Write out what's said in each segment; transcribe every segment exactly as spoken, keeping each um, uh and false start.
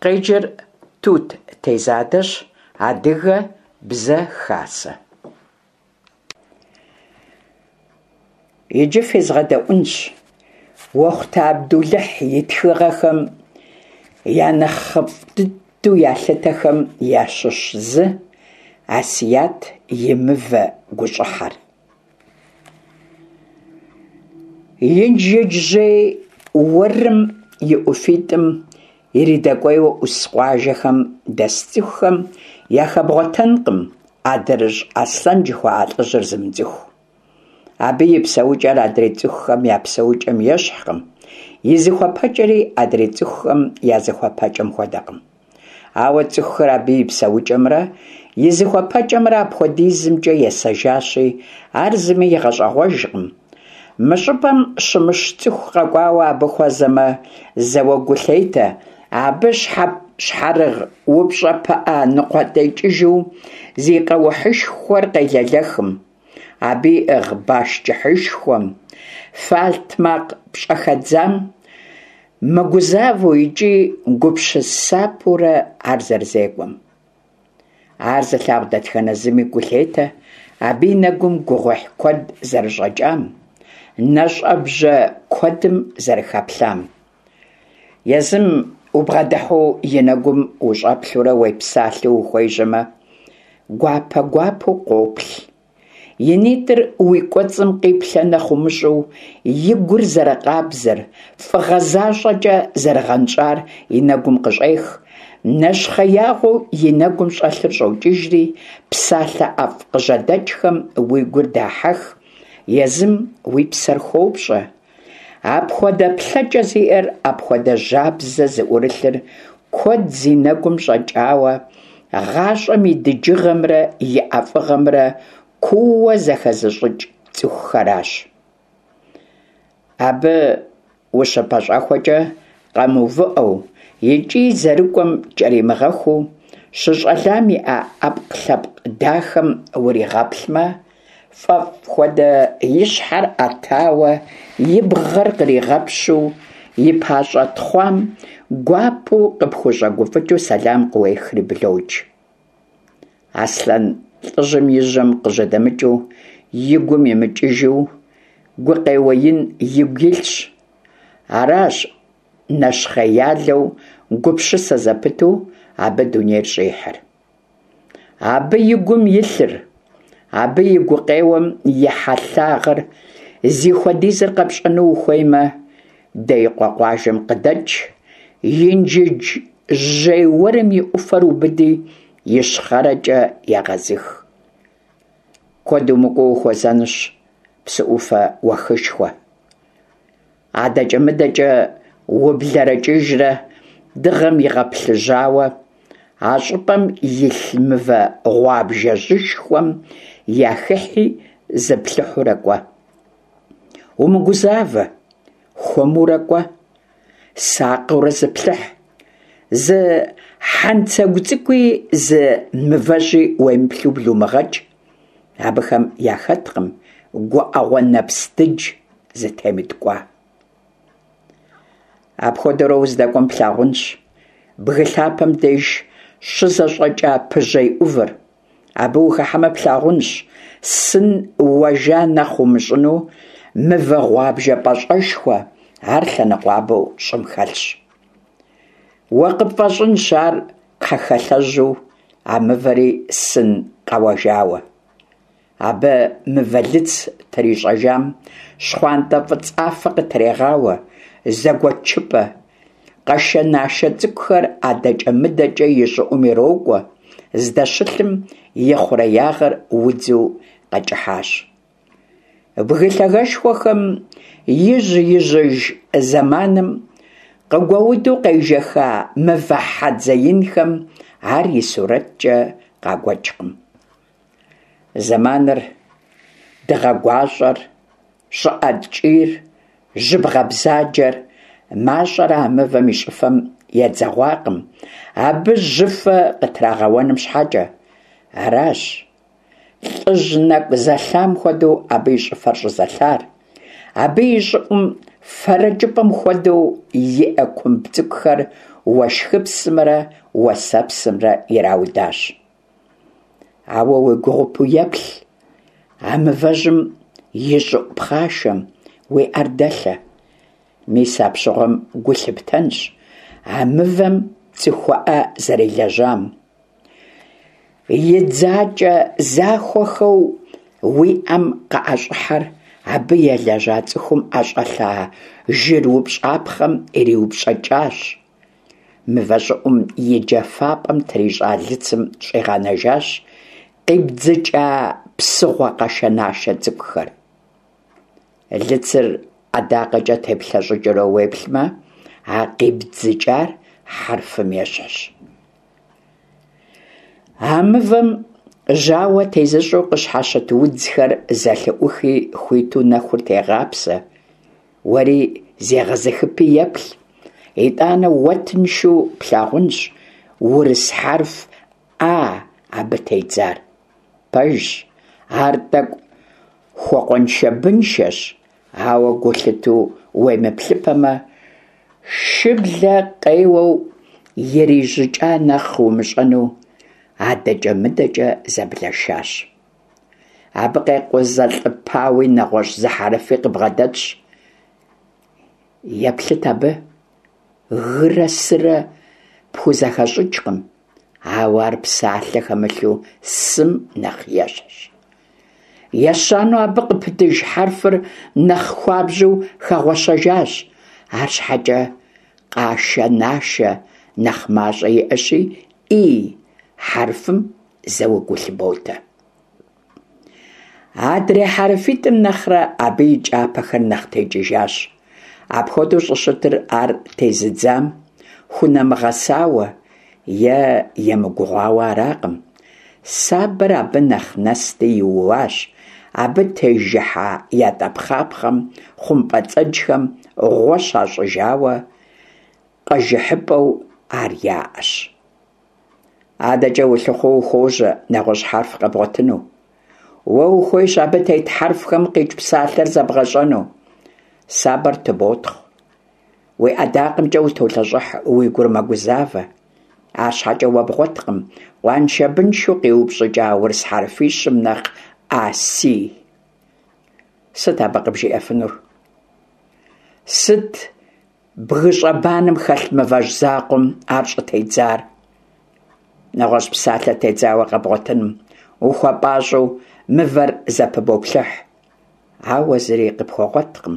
Къеджэр Тут Тезадэщ. Адыгэ Бзэ Хасэ. Иджы фезгъэдэӏуэнщ Уэхъутэ Абдулыхь и тхыгъэхэм я нэхъыфӏ дыдэу ялъытэхэм ящыщ зы «Асият и мывэ гущӏыхьэр». Инжыдж-Жьей уэрым и ӏуфитӏым иридэкӏуейуэ ӏус къуажэхэм дэс цӏыхухэм яхэбгъуэтэнкъым Адрыщӏ Аслъэн жыхуаӏэ лӏыжьыр зымыцӏыху. Абы и псэукӏэр адрей цӏыхухэм я псэукӏэм ещхькъым, и зыхуэпэкӏэри адрей цӏыхухэм я зыхуэпэкӏэм хуэдэкъым. Ауэ цӏыхухэр абы и псэукӏэмрэ и зыхуэпэкӏэмрэ апхуэдизымкӏэ есэжащи, ар зыми игъэщӏэгъуэжкъым. Мы щӏыпӏэм щымыщ цӏыху къэкӏуауэ абы хуэзэмэ, зэуэ гу лъетэ абы щхьэрыгъ упщӏэ пыӏэ ныкъуэтекӏыжу зи къэухьышхуэр къелэлэхым, абы иӏыгъ баш кӏыхьышхуэм, фэлътмакъ пщӏэхэдзам, мыгузавэу икӏи гупсысапэурэ ар зэрызекӏуэм. Ар зылъагъу дэтхэнэ зыми гу лъетэ абы и нэгум гугъуехь куэд зэрыщӏэкӏам, нэщӏэбжьэ куэдым зэрыхэплъам. Езым убгъэдыхьэу и нэгум ущӏэплъурэ уепсалъэу ухуежьэмэ, гуапэ-гуапэу къоплъ. И нитӏыр уи кӏуэцӏым къиплъэ нэхъ умыщӏэу, и гур зэрыкъабзэр, фӏыгъэ защӏэкӏэ зэрыгъэнщӏар и нэгум къыщӏех, нэщхъеягъуэу и нэгум щӏэлъыр щӏокӏыжри, псалъэ ӏэфӏ къыжьэдэкӏхэм уи гур дахьэх, езым уи псэр хопщӏэ. Апхуэдэ плъэкӏэ зиӏэр, апхуэдэ жьабзэ зыӏурылъыр куэд зи нэгум щӏэкӏауэ, гъащӏэм и дыджыгъэмрэ и ӏэфӏыгъэмрэ куууэ зэхэзыщӏыкӏ цӏыхухэращ. Абы ущыпэщӏэхуэкӏэ къэмыувыӏэу икӏи зэрыкӏуэм кӏэримыгъэхуу, щыщӏэлам иӏа ӏэпкълъэпкъ дахэм уригъэплъмэ, фӏэфӏ хуэдэ и щхьэр ӏэтауэ, и бгъэр къригъэпщу, и пащӏэ тхъуам гуапэу къыпхущӏэгуфӏыкӏыу сэлам къыуехри блокӏ. Аслъэн лӏыжьым и жьэм къыжьэдэмыкӏыу, и гум имыкӏыжу гукъеуэ ин игу илъщ. Аращ нэщхъеялэу, гупсысэ зэпыту абы дунейр щӏихьыр. Абы и гум илъыр, абы и гукъеуэм и хьэлъагъыр зихуэдизыр къэпщӏэну ухуеймэ, Деикъуэ къуажэм къыдэкӏ, Инжыдж-Жьей уэрым и ӏуфэр убыди, ищхъэрэкӏэ егъэзых. Куэд умыкӏуэу ухуэзэнущ псы ӏуфэ уэхышхуэ. Адэкӏэ-мыдэкӏэ ублэрэкӏыжрэ дыгъэм игъэплъыжьауэ, а щӏыпӏэм илъ мывэ гъуабжэжьышхуэм яхыхьи зыплъыхьурэ кӏуэ. Умыгузавэ, хуэмурэ кӏуэ, сакъыурэ зыплъыхь. Зы хьэнцэгу цӏыкӏуи зы мывэжьи уемыплъу блумыгъэкӏ. Абыхэм яхэткъым гуӏэгъуэ нэпс дыдж зытемыткӏуа. Апхуэдэурэ уздэкӏуэм плъагъунщ бгы лъапэм деж щызэщӏэкӏа пыжьей ӏувыр. Абы ухыхьэмэ плъагъунщ сын уэжа нэхъ умыщӏыну мывэ гъуабжэ пӏащӏэшхуэ, ар лъэныкъуабэу щӏым хэлъщ. Уэ къыпфӏэщӏынщ ар кхъэхэлъэжьу, а мывэри сын къэуэжауэ. Абы мывэлыц трищӏэжам щхъуантӏэ фӏыцӏафэ къытрегъауэ, зэгуэчыпӏэ, къашэ-нашэ цӏыкӏухэр адэкӏэ-мыдэкӏэ и щӏыӏум ирокӏуэ, здэщылъым и хъуреягъыр удзу къэкӏыхьащ. Бгы лъагэшхуэхэм ижь-ижьыж зэманым къыгуэуду къежэха мывэ хьэдзэ инхэм ар и сурэткӏэ къагуэкӏкъым. Зэманыр, дыгъэ гуащӏэр, щӏыӏэ ткӏийр, жьыбгъэ бзаджэр мащӏэрэ а мывэм и щӏыфэм едзэгъуакъым, абы жьыфэ къытрагъэуэным щхьэкӏэ. Аращ лӏыжь нэкӏу зэлъам хуэдэу абы и щӏыфэр щӏызэлъар. Абы и щӏыӏум фэрэкӏыпӏэм хуэдэу иӏэ кумб цӏыкӏухэр уэшхыпсымрэ уэсэпсымрэ ираудащ. Ауэ уегугъупэу еплъ а мывэжьым и щӏыӏу пхъашэм, уи ӏэр дэлъэ. Мис апщыгъуэм гу лъыптэнщ а мывэм цӏыхуӏэ зэрелэжьам. И дзакӏэ захуэхэу уи ӏэм къыӏэщӏыхьэр абы елэжьа цӏыхум ӏэщӏэлъа жыр упщӏапхъэм ириупщӏэкӏащ. Мывэ щӏыӏум и джэфапӏэм трищӏа лыцым щӏигъэнэжащ къибдзыкӏа псыгъуэ къашэнашэ цӏыкӏухэр. Лыцыр ӏэдакъэкӏэ теплъэщӏыкӏыурэ уеплъмэ, а къибдзыкӏар хьэрфым ещхьщ. А мывэм жьауэ тезыщӏэу къыщхьэщыт удзхэр зэлъыӏухи хуиту нэхур тегъапсэ. Уэри зегъэзыхыпи еплъ. Итӏанэ уэ тыншу плъагъунщ урыс хьэрф «А» абы тедзар. Пэжщ, ар тӏэкӏу хуэкъуэншэбыншэщ, ауэ гу лъытэу уемыплъыпэмэ, шыблэ къеуэу ирижьыкӏа нэхъ умыщӏэну адэкӏэ-мыдэкӏэ зэблэшащ. Абы къекъузэлӏыпауи нэгъуэщӏ зы хьэрфи къыбгъэдэтщ. Еплъыт абы, гырэ сырэ пхузэхэщӏыкӏкъым, ауэ ар псалъэ хэмылъу сым нэхъ ещхьщ. Ещанэу абы къыпытыж хьэрфыр нэхъ хуабжьу хэгъуэщэжащ, арщхьэкӏэ къашэ-нашэ нэхъ мащӏэ иӏэщи, «И» хьэрфым зэуэ гу лъыботэ. Адрей хьэрфитӏым нэхърэ абы и кӏапэхэр нэхъ текӏыжащ. Апхуэдэу щӏыщытыр ар тезыдзам хунэмыгъэсауэ е емыгугъуауэ аракъым. Сабэр абы нэхъ нэсти иууащ, абы тежыхьа ятӏэпхъапхъэм, хъумпӏэцӏэджхэм гъуэ щащӏыжауэ къэжыхьыпӏэу ар яӏэщ. Адэкӏэ улъыхъуэу ухуожьэ нэгъуэщӏ хьэрф къэбгъуэтыну. Уэ ухуейщ абы тет хьэрфхэм къикӏ псалъэр зэбгъэщӏэну. Сабэр тыботхъу. Уи ӏэдакъэмкӏэ утолъэщӏыхь, уи гур мэгузавэ. Арщхьэкӏэ уэ бгъуэткъым къуаншэбыншэу къиупщӏыкӏа урыс хьэрфищым нэхъ «А», «Си». Сыт абы къыбжиӏэфынур? Сыт бгыщӏэбанэм хэлъ мывэжь закъуэм ар щӏытедзар? Нэгъуэщӏ псалъэ тедзауэ къэбгъуэтыным ухуэпӏащӏэу мывэр зэпыбоплъыхь, ауэ зыри къыпхуэгъуэткъым.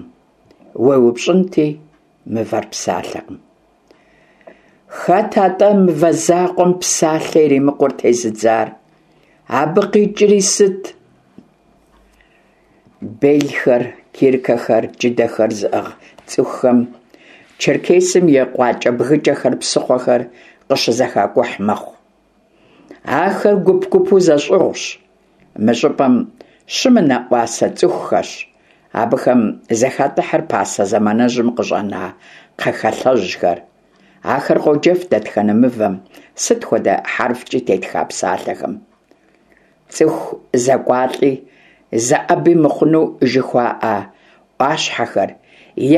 Уеупщӏынти, мывэр псалъэкъым. Хэт атӏэ мывэ закъуэм псалъэ иримыкъур тезыдзар? Абы къикӏри сыт? Белхэр, киркэхэр, джыдэхэр зыӏыгъ цӏыхухэм Черкесым и къуакӏэбгыкӏэхэр, псыхъуэхэр къыщызэхакӏухь мэхъу. Ахэр гуп-гупу зэщӏыгъущ. Мы щӏыпӏэм щымынэӏуасэ цӏыхухэщ. Абыхэм зэхатӏыхьыр пасэ зэманыжьым къыщӏэна кхъэхалъэжьхэр. Ахэр къоджэф дэтхэнэ мывэм, сыт хуэдэ хьэрфкӏи тетха псалъэхэм. Цӏыху зэкӏуалӏи, зэӏэби мыхъуну жыхуаӏэ ӏуащхьэхэр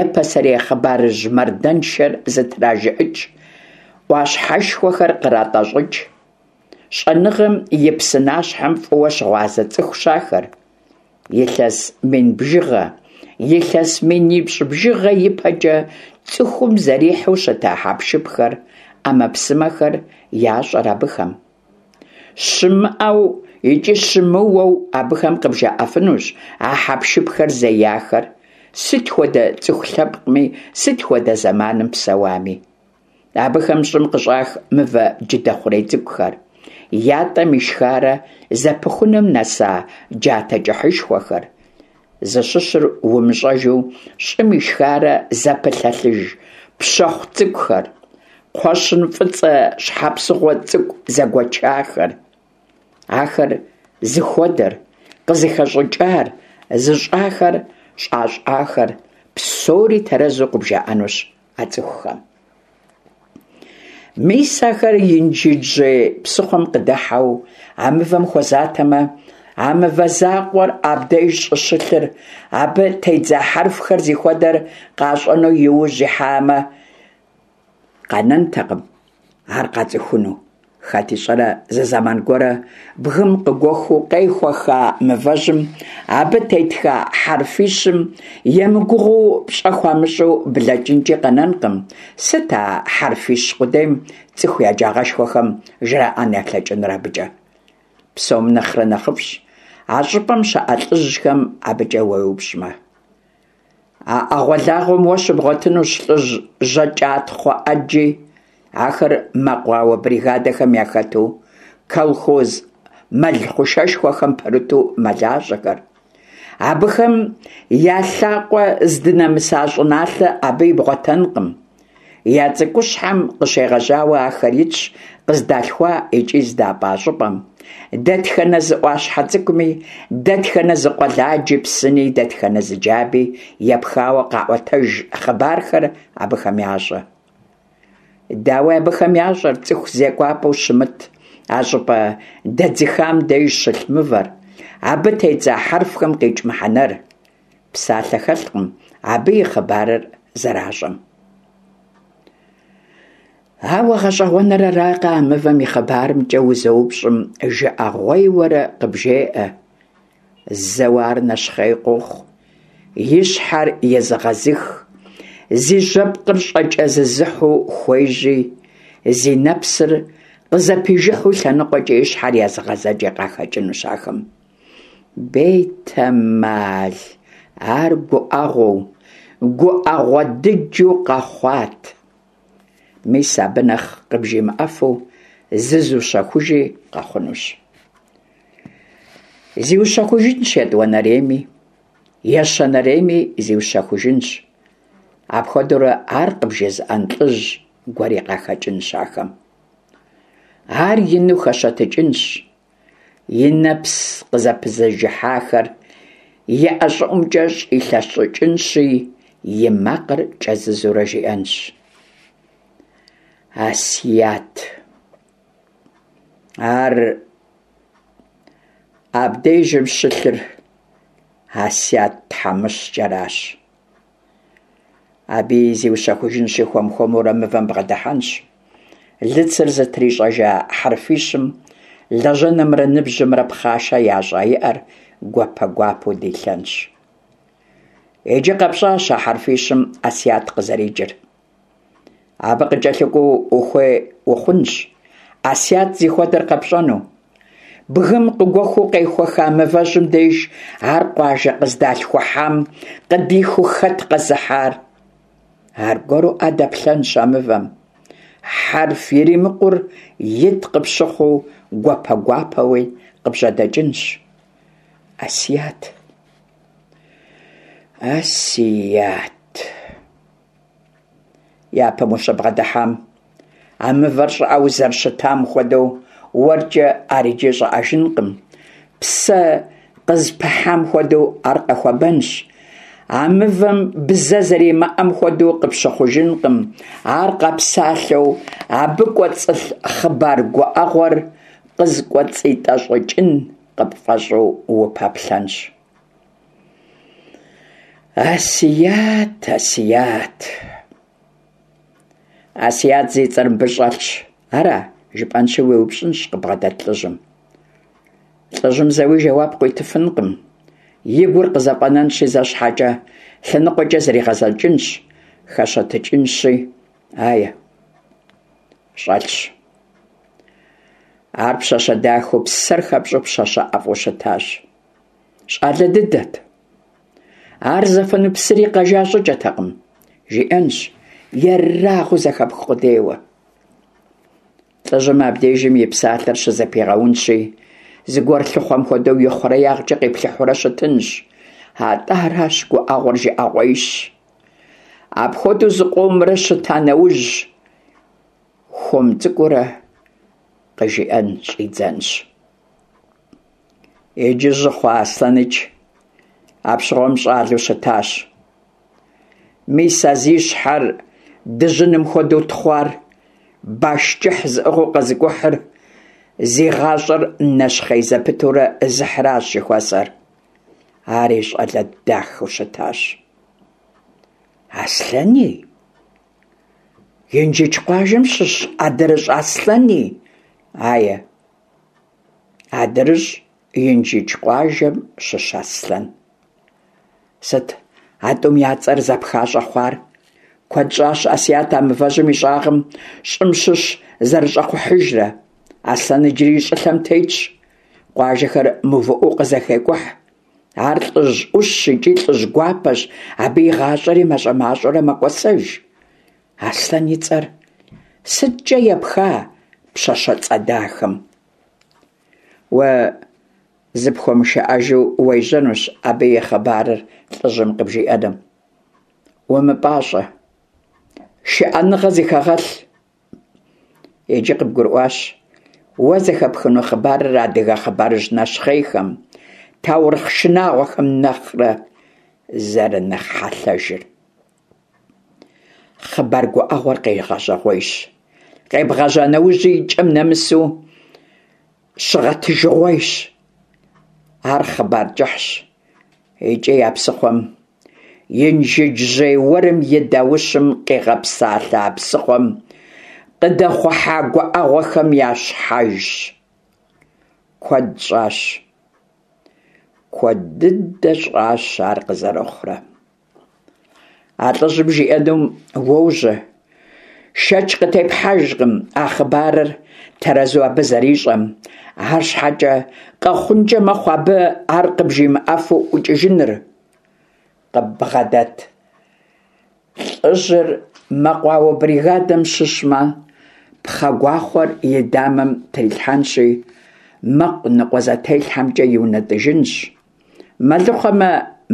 е пасэрей хъыбарыжь мардэншэр зытражыӏыкӏ ӏуащхьэшхуэхэр къратӏэщӏыкӏ. Щӏэныгъэм и псынащхьэм фӏыуэ щыгъуазэ цӏыхущ ахэр. Илъэс мин бжыгъэ, илъэс минипщӏ бжыгъэ ипэкӏэ цӏыхум зэрихьэу щыта хьэпшыпхэр, ӏэмэпсымэхэр ящӏэр абыхэм. Щымыӏэу икӏи щымыуэу абыхэм къыбжаӏэфынущ а хьэпшыпхэр зеяхэр, сыт хуэдэ цӏыху лъэпкъми, сыт хуэдэ зэманым псэуами. Абыхэм щӏым къыщӏах мывэ джыдэ хъурей цӏыкӏухэр, ятӏэм ишхарэ зэпыхуным нэса джатэ кӏыхьышхуэхэр, зыщыщыр умыщӏэжу щӏым ишхарэ зэпылъэлъыж пщэхъу цӏыкӏухэр, кхъуэщын фӏыцӏэ щхьэпсыгъуэ цӏыкӏу зэгуэчахэр. Ахэр зыхуэдэр, къызыхэщӏыкӏар, зыщӏахэр, щӏащӏахэр псори тэрэзу къыбжаӏэнущ а цӏыхухэм. Мис ахэр Инжыджьей псыхъуэм къыдыхьэу а мывэм хуэзатэмэ, А мывэ закъуэр абдеж щӏыщылъыр, абы тедза хьэрфхэр зихуэдэр къащӏэну иужь ихьамэ, къэнэнтэкъым ар къацӏыхуну. Хэт ищӏэрэ, зы зэман гуэрэ бгым къыгуэхуу къехуэха мывэжьым, абы тетха хьэрфищым емыгугъуу пщӏэ хуамыщӏу блэкӏынкӏи къэнэнкъым. Сыт а хьэрфищ къудейм цӏыху еджагъэшхуэхэм жраӏэн ялъэкӏынур абыкӏэ? Псом нэхърэ нэхъыфӏщ а щӏыпӏэм щыӏэ лӏыжьхэм абыкӏэ уеупщӏмэ. А ӏэгъуэлагъуэм уэ щыбгъуэтынущ лӏыжь жьакӏатхъуэ ӏэджи. Ахэр мэкъуауэ бригадэхэм яхэту, колхоз мэл хъушэшхуэхэм пэрыту мэлажьэхэр. Абыхэм я лъакъуэ здынэмыса щӏыналъэ абы ибгъуэтэнкъым. Я цӏыкӏущхьэм къыщегъэжьауэ ахэр итщ къыздалъхуа икӏи здапӏа щӏыпӏэм. Дэтхэнэ зы ӏуащхьэ цӏыкӏуми, дэтхэнэ зы къуэладжи, псыни, дэтхэнэ зы джаби епхауэ къаӏуэтэж хъыбархэр абыхэм ящӏэ. Дауи, абыхэм ящӏэр цӏыху зекӏуапӏэу щымыт а щӏыпӏэ дэдзыхам деж щылъ мывэр, абы тедза хьэрфхэм къикӏ мыхьэнэр. Псалъэ хэлъкъым абы и хъыбарыр зэращӏэм. Ауэ гъэщӏэгъуэныр аракъэ, а мывэм и хъыбарымкӏэ узэупщӏым жыӏэгъуейуэрэ къыбжеӏэ. Зэуэ ар нэщхъей къохъу, и щхьэр езыгъэзых, зи жьэпкъыр щӏэкӏэзызыхьу хуежьи, зи нэпсыр къызэпижыхьу лъэныкъуэкӏэ и щхьэр езыгъэзэкӏи къахэкӏынущ ахэм. Бетэмал, ар гуӏэгъуэу, гуӏэгъуэ дыджу къэхъуат. Мис абы нэхъ къыбжимыӏэфу зызущэхужи къэхъунущ. Зиущэхужынщ етӏуанэрейми, ещанэрейми зиущэхужынщ. Апхуэдэурэ ар къыбжезыӏэн лӏыжь гуэри къахэкӏынщ ахэм. Ар ину хэщэтыкӏынщ, и нэпс къызэпызыжыхьахэр и ӏэ щӏыӏумкӏэ щӏилъэщӏыкӏынщи, и макъыр кӏэзызурэ жиӏэнщ: Асият. Ар абдежым щылъыр Асият тхьэмыщкӏэращ. Абыи зиущэхужынщи, хуэм-хуэмурэ мывэм бгъэдыхьэнщ. Лыцыр зытрищӏэжа хьэрфищым лэжьэнымрэ ныбжьымрэ пхъашэ ящӏа и ӏэр гуапэ-гуапэу дилъэнщ. Иджы къэпщӏащ а хьэрфищым Асият къызэрикӏыр. Абы къыкӏэлъыкӏуэу ухуей ухъунщ Асият зихуэдэр къэпщӏэну. Бгым къыгуэхуу къехуэха мывэжьым деж ар къуажэ къыздалъхухьам къыдихыу хэт къэзыхьар? Аргуэру ӏэ дэплъэнщ а мывэм. Хьэрф иримыкъур ит къыпщыхъуу гуапэ-гуапэуи къыбжьэдэкӏынщ. Асият. Асият. Япэм ущыбгъэдыхьам а мывэр щӏыӏэу зэрыщытам хуэдэу уэркӏэ ар иджы щӏыӏэжынкъым. Псэ къызыпыхьам хуэдэу ар къэхуэбэнщ. А мывэм бзэ зэримыӏэм хуэдэу къыпщыхъужынкъым, ар къэпсалъэу абы кӏуэцӏылъ хъыбар гуӏэгъуэр къызыкӏуэцӏитӏэщӏыкӏын къыпфӏэщӏу упэплъэнщ. Асият, Асият. Асият зи цӏэр мыбы щӏэлъщ, ара? Жыпӏэнщи уеупщӏынщ къыбгъэдэт лӏыжьым. Лӏыжьым зэуи жэуап къуитыфынкъым. И гур къызэфӏэнэнщи, зэ щхьэкӏэ лъэныкъуэкӏэ зригъэзэкӏынщ, хэщэтыкӏынщи, ае, щӏэлъщ. Ар пщащэ дахэу, псэр хэпщӏу пщащэ ӏэфӏу щытащ. Щӏалэ дыдэт. Ар зэфэну псыри къэжа щӏыкӏэтэкъым, жиӏэнщ, ерагъыу зэхэпх къудейуэ. Лӏыжьым абдежым и псалъэр щызэпигъэунщи, зыгуэр лъыхъуэм хуэдэу и хъуреягъкӏэ къиплъыхьурэ щытынщ. Атӏэ аращ гуӏэгъуэр жыӏэгъуейщ. Апхуэдэу зыкъомрэ щыта нэужь, хуэм цӏыкӏуурэ къыжиӏэн щӏидзэнщ. Иджы жьы хъуа Аслъэныч апщыгъуэм щӏалэу щытащ. Мис а зи щхьэр дыжьыным хуэдэу тхъуар, баш кӏыхь зыӏыгъыу къэзыкӏухьыр, Зи гъащӀэр нэщхъей зэпытурэ зыхьыращ жыхуэсӀэр. Ари щӀалэ дахэу щытащ. Аслъэни? Инжыдж къуажэм щыщ АдрыщӀ Аслъэни? Ае, АдрыщӀ Инжыдж къуажэм щыщ Аслъэн. Сыт а тӀум я цӀэр зэпха щӀэхъуар? Куэд щӀащ Ӏэсият а мывэжьым и щӀагъым щӀым щыщ зэрыщӀэхъухьыжрэ. Аслъэн иджыри щӀылъэм тетщ. Къуажэхэр мыувыӀэу къызэхекӀухь. Ар лӀыжь Ӏущщ икӀи лӀыжь гуапэщ, абы и гъащӀэри мащӀэ-мащӀэурэ мэкӀуэсэж. Аслъэн и цӀэр сыткӀэ епха пщащэ цӀэ дахэм? Уэ зыпхуэмышыӀэжу уежьэнущ абы и хъыбарыр лӀыжьым къыбжиӀэным. УмыпӀащӀэ, шыӀэныгъэ зыхэгъэлъ. Иджы къыбгурыӀуащ уэ зэхэпхыну хъыбарыр адыгэ хъыбарыжь нэщхъейхэм, таурыхъ шынагъуэхэм нэхърэ зэрынэхъ хьэлъэжыр. Хъыбар гуӀэгъуэр къегъэжьэгъуейщ, къебгъэжьа нэужьи и кӀэм нэмысу щыгъэтыжыгъуейщ. Ар хъыбар кӀыхьщ икӀи а псыхъуэм, Инжыджжьей уэрым и даущым къигъэпсалъэ а псыхъуэм къыдэхъухьа гуӀэгъуэхэм я щхьэжщ. Куэд щӀащ, куэд дыдэ щӀащ ар къызэрыхъурэ. А лӀыжьым жиӀэнум уожьэ. Шэч къытепхьэжкъым а хъыбарыр тэрэзу абы зэрищӀэм. АрщхьэкӀэ къэхъункӀэ мэхъу абы ар къыбжимыӀэфу ӀукӀыжыныр. Къыббгъэдэт лӀыжьыр мэкъуауэ бригадэм щыщмэ, пхъэ гуахъуэр и дамэм трилъхьэнщи, мэкъу ныкъуэзэтелъхьэмкӀэ иунэтӀыжынщ. Мэлыхъуэмэ,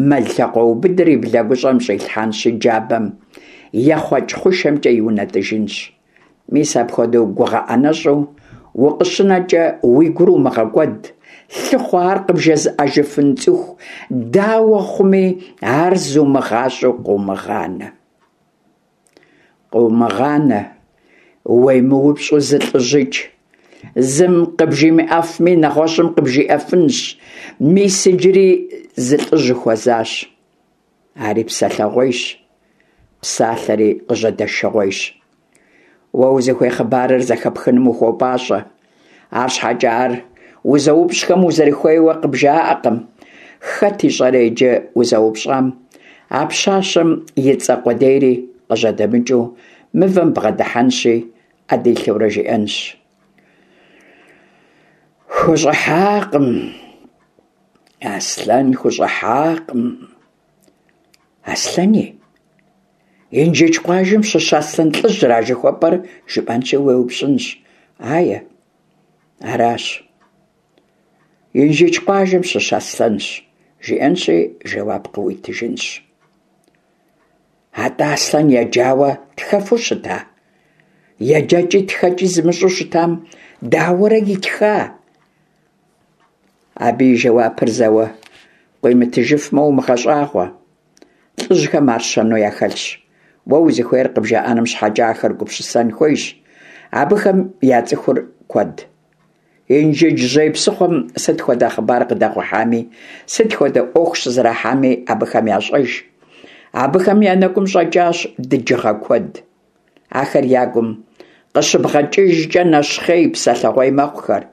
мэл лъакъуэубыдыр и блэгущӀэм щӀилъхьэнщи, джабэм ехъуэкӀ хъушэмкӀэ иунэтӀыжынщ. Мис апхуэдэу гугъэӀэнэщӀу укъыщынэкӀэ уи гур умыгъэкӀуэд, лъыхъуэ ар къыбжезыӀэжыфын цӀыху, дауэ хъуми, ар зумыгъащӀэу къыумыгъанэ. Къыумыгъанэ, уемыупщӀу зы лӀыжьикӀ. Зым къыбжимыӀэфми, нэгъуэщӀым къыбжиӀэфынщ. Мис иджыри зы лӀыжь ухуэзащ. Ари псэлъэгъуейщ, псалъэри къыжьэдэшыгъуейщ. Уэ узыхуей хъыбарыр зэхэпхыным ухуопӀащӀэ. АрщхьэкӀэ ар узэупщӀхэм узэрыхуейуэ къыбжаӀэкъым. Хэт ищӀэрэ иджы узэупщӀам а пщащэм и цӀэ къудейри къыжьэдэмыкӀыу мывэм бгъэдыхьэнщи, Ӏэ дилъэурэ жиӀэнщ. ХущӀыхьакъым, Аслъэн хущӀыхьакъым. Аслъэни? Инжыдж къуажэм щыщ Аслъэн лӀыжьыра жыхуэпӀэр жыпӀэнщи уеупщӀынщ. Ае, аращ. Инжыдж къуажэм щыщ Аслъэнщ, жиӀэнщи жэуап къыуитыжынщ. АтӀэ Аслъэн еджауэ тхэфу щыта? ЕджэкӀи тхэкӀи зымыщӀэу щытам дауэрэ итха? Абы и жэуапыр зэуэ къуимытыжыфмэ, умыгъэщӀагъуэ. ЛӀыжьхэм ар щэну яхэлъщ. Уэ узыхуейр къыбжаӀэным щхьэкӀэ ахэр гупсысэн хуейщ. Абыхэм я цӀыхур куэд. Инжыджжьей псыхъуэм сыт хуэдэ хъыбар къыдэхъухьами, сыт хуэдэ Ӏуэху щызэрахьами абыхэм ящӀэж. Абыхэм я нэгум щӀэкӀащ дыджыгъэ куэд. Ахэр я гум къыщыбгъэкӀыжкӀэ нэщхъей, псэлъэгъуей мэхъухэр.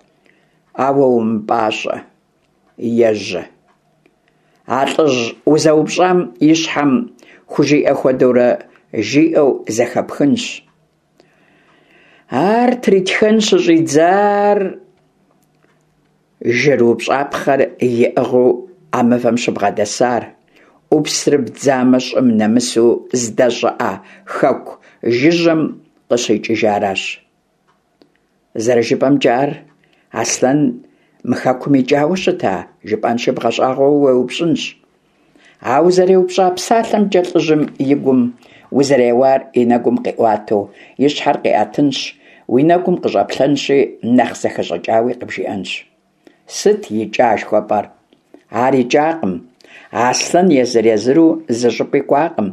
Ауэ умыпӀащӀэ, ежьэ. А лӀыжь узэупщӀам и щхьэм хужиӀэ хуэдэурэ жиӀэу зэхэпхынщ. Ар тритхэн щыщӀидзар жыр упщӀапхъэр иӀыгъыу а мывэм щыбгъэдэсар, Ӏупсыр бдзамэ щӀым нэмысу здэщыӀэ хэку жыжьэм къыщикӀыжаращ. ЗэрыжыпӀэмкӀэ, ар Аслъэн мы хэкум икӀауэ щыта? жыпӀэнщи бгъэщӀагъуэу уеупщӀынщ. А узэреупщӀа псалъэмкӀэ лӀыжьым и гум узэреуар и нэгум къиӀуатэу и щхьэр къиӀэтынщ, уи нэгум къыщӀэплъэнщи, нэхъ зэхэщӀыкӀауи къыбжиӀэнщ. Сыт икӀа жыхуэпӀэр? Ар икӀакъым. Аслъэн езыр-езыру зы щӀыпӀи кӀуакъым.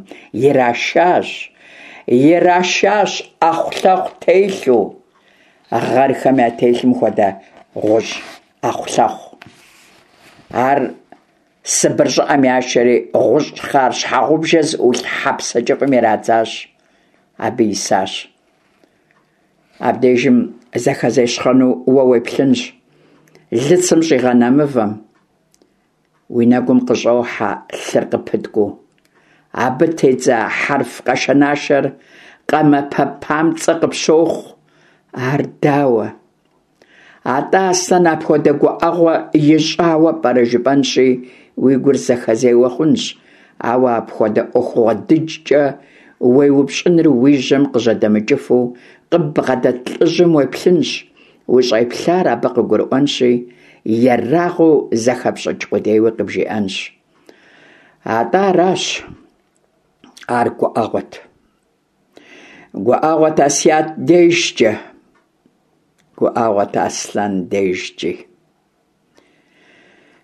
Ирашащ. Ирашащ Ӏэхъулъэхъу телъу. гъэрхэм ятелъым хуэдэ гъущӏ ӏэхъулъэхъу. Ар Сыбыр щӏыӏэм яшэри, гъущӏ хъар щхьэгъубжэ зыӏулъ хьэпсэ кӏыфӏым ирадзащ. Абы исащ. Абдежым зэхэзещхъэну уэ уеплъынщ лыцым щӏигъэна мывэм. Уи нэгум къыщӏохьэ лъыр къыпыткӏуу. Абы тедза хьэрф къэшэнашэр къамэпэ памцӏэ къыпщохъу. Ар дауэ? Атӏэ Аслъэн апхуэдэ гуӏэгъуэ ищӏауэ пӏэрэ жыпӏэнщи, уи гур зэхэзеуэ хъунщ, ауэ апхуэдэ ӏуэхугъуэ дыджкӏэ уеупщӏыныр уи жьэм къыжьэдэмыкӏыфу къыббгъэдэт лӏыжьым уеплъынщ, ущӏеплъар абы къыгурыӏуэнщи, ерагъыу зэхэпщӏыкӏ къудейуи къыбжиӏэнщ. Атӏэ аращ, ар гуӏэгъуэт. Гуӏэгъуэт Асият дежкӏэ, гуӏэгъуэт Аслъэн дежкӏи.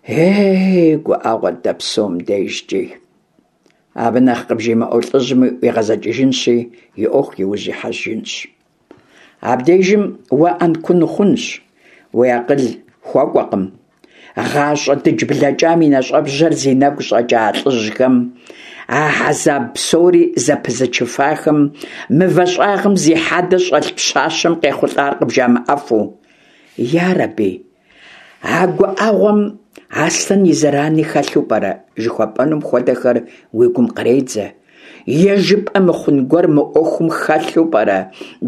Ей, гуӏэгъуэт дэ псом дежкӏи. Абы нэхъ къыбжимыӏэу лӏыжьми ӏуигъэзэкӏыжынщи, и ӏуэху иужь ихьэжынщ. Абдежым уэ ӏэнкун ухъунщ, уи акъыл хуэкӏуэкъым. Гъащӏэ дыдж блэкӏам и нэщӏэбжьэр зи нэгу щӏэкӏа лӏыжьхэм, а хьэзаб псори зэпызычыфахэм, мывэ щӏагъым зи хьэдэ щӏэлъ пщащэм къехъулӏар къыбжамыӏэфу. Ярэби, а гуӏэгъуэм Аслъэн и зэрани хэлъу пӏэрэ жыхуэпӏэнум хуэдэхэр уи гум къредзэ. Е жыпӏэ мыхъун гуэр мы ӏуэхум хэлъу пӏэрэ,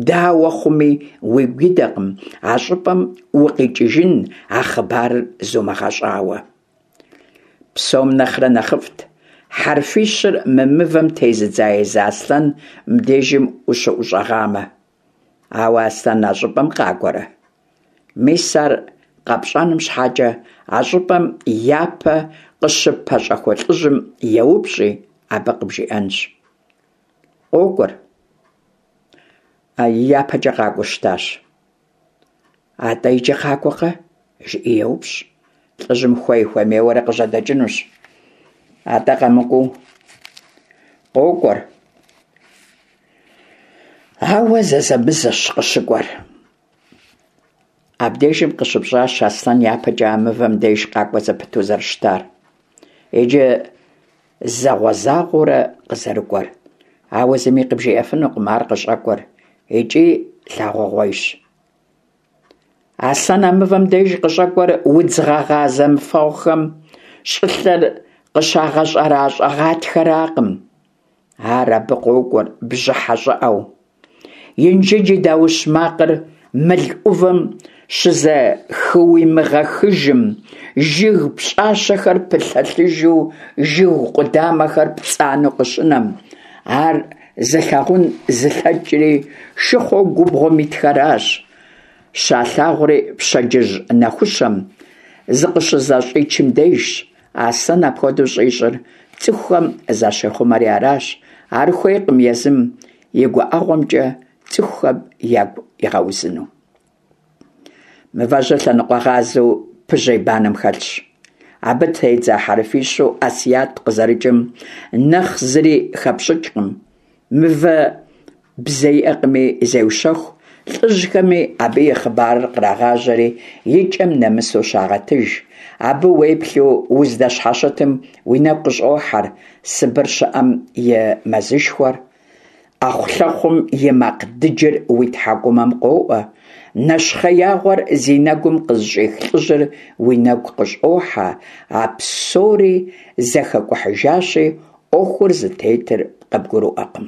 дауэ хъуми, уигу идэкъым а щӏыпӏэм укъикӏыжын а хъыбарыр зумыгъэщӏауэ. Псом нэхърэ нэхъыфӏт хьэрфищыр мы мывэм тезыдза езы Аслъэн мыбдежым ущыӏущӏэгъамэ. Ауэ Аслъэн а щӏыпӏэм къакӏуэрэ? Мис ар къэпщӏэным щхьэкӏэ а щӏыпӏэм япэ къыщыппэщӏэхуэ лӏыжьым еупщӏи, абы къыбжиӏэнщ. Къокӏуэр. Япэкӏэ къакӏуэу щытащ. Атӏэ иджы къакӏуэкъэ? Жыӏи еупщӏ. Лӏыжьым хуей-хуэмейуэрэ къыжьэдэкӏынущ. Атӏэ къэмыкӏуэу къокӏуэр. Ауэ зэзэмызэщ къыщыкӏуэр. Абдежым къыщыпщӏащ Аслъэн япэкӏэ а мывэм деж къакӏуэ зэпыту зэрыщытар. Иджы зэгъуэзагъуэурэ къызэрыкӏуэр. Ауэ зыми къыбжиӏэфынукъым ар къыщӏэкӏуэр икӏи лъагъугъуейщ. Аслъэн а мывэм деж къыщӏэкӏуэр удз гъэгъа зэмыфэгъухэм щӏылъэр къыщагъэщӏэращӏэ гъатхэракъым. Ар абы къокӏуэр бжьыхьэ щӏыӏэу. Инжыдж и даущ макъыр мыл ӏувым щызэхыуимыгъэхыжым, жыг пщӏащэхэр пылъэлъыжу, жыг къудамэхэр пцӏанэу къыщынэм. Ар зылъагъун зылъэкӏри шыхъуэу губгъуэм итхэращ. Щалъагъури пщэдджыжь нэхущэм зыкъыщызэщӏичым дежщ. Аслъэн апхуэдэу щӏищӏыр цӏыхухэм защехъумэри аращ. Ар хуейкъым езым и гуӏэгъуэмкӏэ цӏыхухэм ягу игъэузыну. Мывэжьыр лъэныкъуэгъазэу пыжьей банэм хэлъщ. Абы тедза хьэрфищу Асият къызэрыкӏым нэхъ зыри хэпщӏыкӏкъым. Мывэ бзэ иӏэкъыми зеущэху, лӏыжьхэми абы и хъыбарыр кърагъажьэри и кӏэм нэмысу щагъэтыж. Абы уеплъу уздэщхьэщытым уи нэгу къыщӏохьэр Сыбыр щыӏэм и мэзышхуэр. Ӏэхъулъэхъум и макъ дыджыр уи тхьэкӏумэм къоӏуэ. Нэщхъеягъуэр зи нэгум къызыщӏих лӏыжьыр уи нэгу къыщӏохьэ. А псори зэхэкӏухьыжащи, ӏуэхур зытетыр къыбгурыӏуэкъым.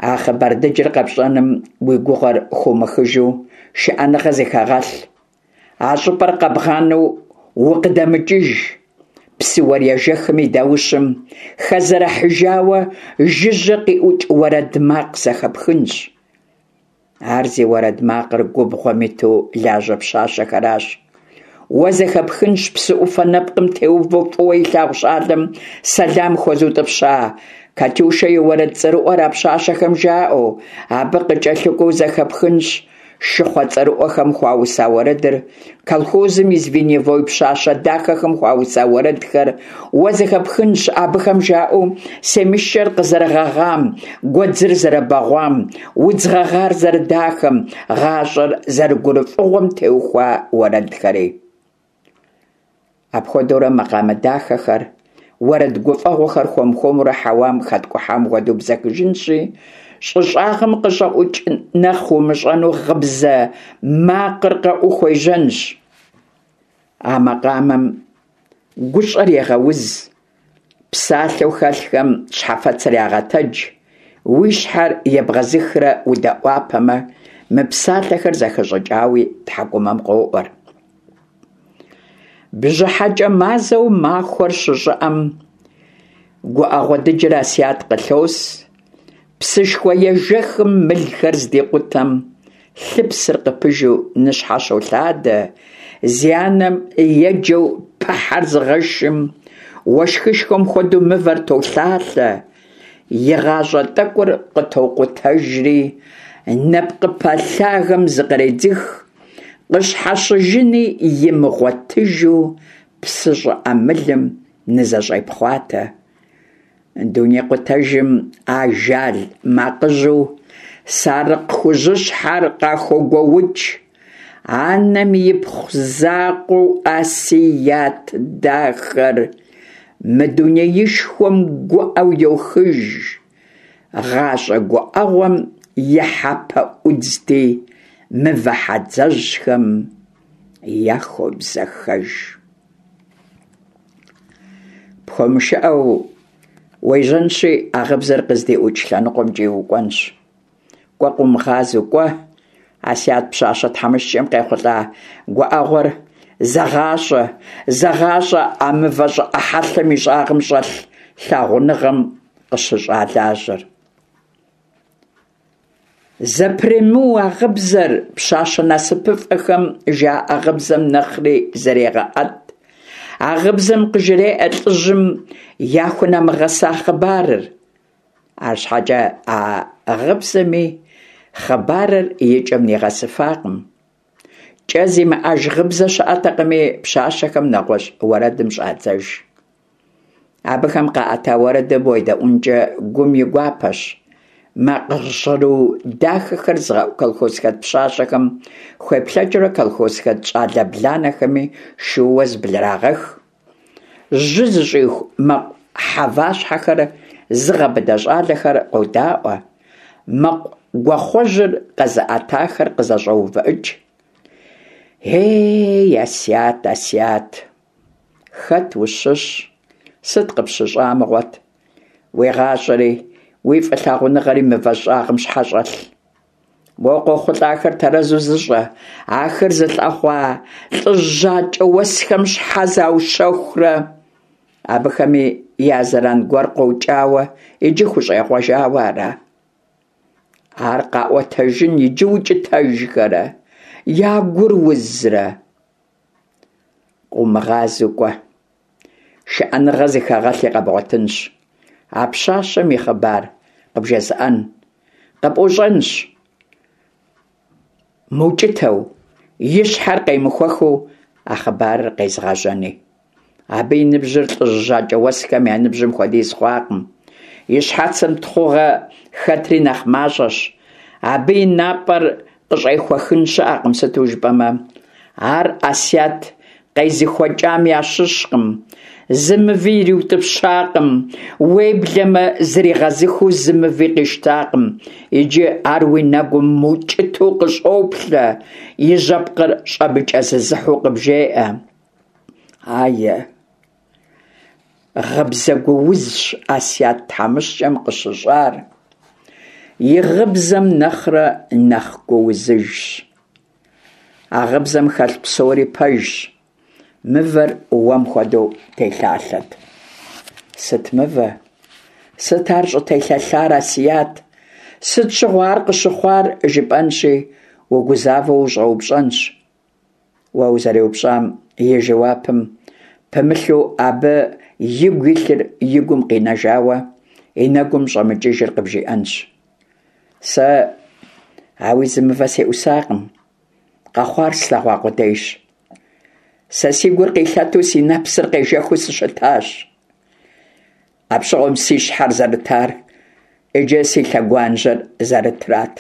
А хъыбар дыджыр къэпщӏэным уи гугъэр хыумыхыжу шыӏэныгъэ зыхэгъэлъ. А щӏыпӏэр къэбгъанэу укъыдэмыкӏыж. Псы уэр ежэхым и даущым хэзэрыхьыжауэ жыжьэ къиӏукӏ уэрэд макъ зэхэпхынщ. Ар зи уэрэд макъыр губгъуэм иту лажьэ пщащэхэращ. Уэ зэхэпхынщ псы ӏуфэ нэпкъым теувэу фӏыуэ илъагъу щӏалэм сэлам хуэзутӏыпща Катюшэ и уэрэд цӏэрыӏуэр а пщащэхэм жаӏэу. Абы къыкӏэлъыкӏуэу зэхэпхынщ Шыхъуэ цӀэрыӀуэхэм хуауса уэрэдыр, колхозым и звеньевой пщащэ дахэхэм хуауса уэрэдхэр, уэ зэхэпхынщ абыхэм жаӀэу семышэр къызэрыгъэгъам, гуэдзыр зэрыбэгъуам, удз гъэгъар зэрыдахэм, гъащӀэр зэрыгурыфӀыгъуэм теухуа уэрэдхэри. Апхуэдэурэ макъамэ дахэхэр, уэрэд гуфӀэгъуэхэр хуэм-хуэмурэ хьэуам хэткӀухьам хуэдэу бзэхыжынщи, щӀы щӀагъым къыщӀэӀукӀ нэхъ умыщӀэну гъыбзэ макъыр къэӀуу хуежьэнщ. А макъамэм гущӀэр егъэуз, псалъэу хэлъхэм щхьэфэцыр ягъэтэдж, уи щхьэр ебгъэзыхрэ удэӀуапэмэ, мы псалъэхэр зэхэщӀыкӀауи тхьэкӀумэм къоӀуэр. БжьыхьэкӀэ мазэу махуэр щыщӀыӀэм, гуӀэгъуэ дыджыр Асият къылъос, псышхуэ ежэхым мылхэр здикъутэм, лъыпсыр къыпыжу ныщхьэщолъадэ, зи анэм еджэу пыхьэр зыгъэшым, уэшхышхуэм хуэдэу мывэр толъалъэ, и гъащӀэ тӀэкӀур къытокъутэжри, нэпкъыпэ лъагэм зыкъредзых, къыщхьэщыжыни имыгъуэтыжу псы щӀыӀэ мылым нызэщӀепхъуатэ. Дунейкъутэжым ажал макъыжьу сарыкъ хужьыщхьэр къахогуоукӀ. Анэм ипхъу закъуэу Асият дахэр мы дунеишхуэм гуӀэу йохыж. ГъащӀэ гуӀэгъуэм и хьэпэӀудзти, мывэ хьэдзэжьхэм яхобзэхэж. ПхуэмышыӀэу уежьэнщи, а гъыбзэр къыздиӀукӀ лъэныкъуэмкӀи укӀуэнщ. КӀуэ, къыумыгъазэу, кӀуэ, Асият пщащэ тхьэмыщкӀэм къехъулӀа гуӀэгъуэр зэгъащӀэ, зэгъащӀэ а мывэ щӀыӀэ хьэлъэм и щӀагъым щӀэлъ лъагъуныгъэм къыщыщӀа лажьэр. Зэпремыу а гъыбзэр пщащэ насыпыфӀэхэм жаӀэ гъыбзэм нэхъри зрегъэӀэт. А гъыбзэм къыжреӀэ лӀыжьым яхунэмыгъэса хъыбарыр. АрщхьэкӀэ а гъыбзэми хъыбарыр и кӀэм нигъэсыфакъым. КӀэ зимыӀэж гъыбзэ щыӀэтэкъыми, пщащэхэм нэгъуэщӀ уэрэдым щӀадзэж. Абыхэм къаӀэта уэрэдым уедэӀуэнкӀэ гум и гуапэщ. Макъ жьгъыру дахэхэр зыгъэӀу колхозхэт пщащэхэм хуеплъэкӀыурэ колхозхэт щӀалэ бланэхэми шууэ зыблрагъэх. Жьы зыщӀиху мэкъу хьэващхьэхэр зыгъэбыдэ щӀалэхэр къодаӀуэ, мэкъу гуахъуэжьыр къэзыӀэтахэр къызэщӀоувыӀыкӀ. Ей, Асият, Асият, хэт ущыщ, сыт къыпщыщӀа мыгъуэт? Уи гъащӀэри, уи фӀылъагъуныгъэри мывэ щӀагъым щхьэ щӀэлъ? Уэ къохъулӀахэр тэрэзу зыщӀэ, ахэр зылъэгъуа лӀыжь жьакӀэ уэсхэм щхьэ заущэхурэ? Абыхэми я зэран гуэр къокӀауэ, иджы хущӀегъуэжауэ ара? Ар къаӀуэтэжын иджы укӀытэжхэрэ, я гур узрэ? Къыумыгъазэу кӀуэ, шыӀэныгъэ зыхэгъэлъи къэбгъуэтынщ. А пщащэм и хъыбар къыбжезыӀэн, къыпӀущӀэнщ. МыукӀытэу, и щхьэр къемыхуэхыу а хъыбарыр къезыгъэжьэни. Абы и ныбжьыр лӀыжь жьакӀэ уэсхэм я ныбжьым хуэдиз хъуакъым. И щхьэцым тхъугъэ хэтри нэхъ мащӀэщ. Абы и напӀэр къыщӀехуэхын щыӀэкъым, сыту жыпӀэмэ, ар Асият къезыхуэкӀам ящыщкъым, зы мыви ириутӀыпщакъым, уеблэмэ зригъэзыхыу зы мыви къищтакъым. Иджы ар уи нэгум мыукӀытэу къыщӀоплъэ, и жьэпкъыр щӀэмыкӀэзызыхьу къыбжеӀэ. Ае, гъыбзэ гуузщ Асият тхьэмыщкӀэм къыщыщӀар, и гъыбзэм нэхърэ нэхъ гуузыжщ. А гъыбзэм хэлъ псори пэжщ. Мывэр уэм хуэдэу телъалъэт. Сыт мывэ? Сыт ар щӀытелъэлъар, Асият? Сыт щыгъуэ ар къыщыхъуар жыпӀэнщи, угузавэу ущӀэупщӀэнщ. Уэ узэреупщӀам и жэуапым пымылъу абы игу илъыр и гум къинэжауэ и нэгум щӀэмыкӀыжыр къыбжиӀэнщ. Сэ Ауи зы мывэ сеӏусакъым, къэхъуар слъэгъуа къудейщ. Сэ си гур къилъэту, си нэпсыр къежэхыу сыщытащ. Апщыгъуэм си щхьэр зэрытар иджы си лъэгуажьэр зэрытрат.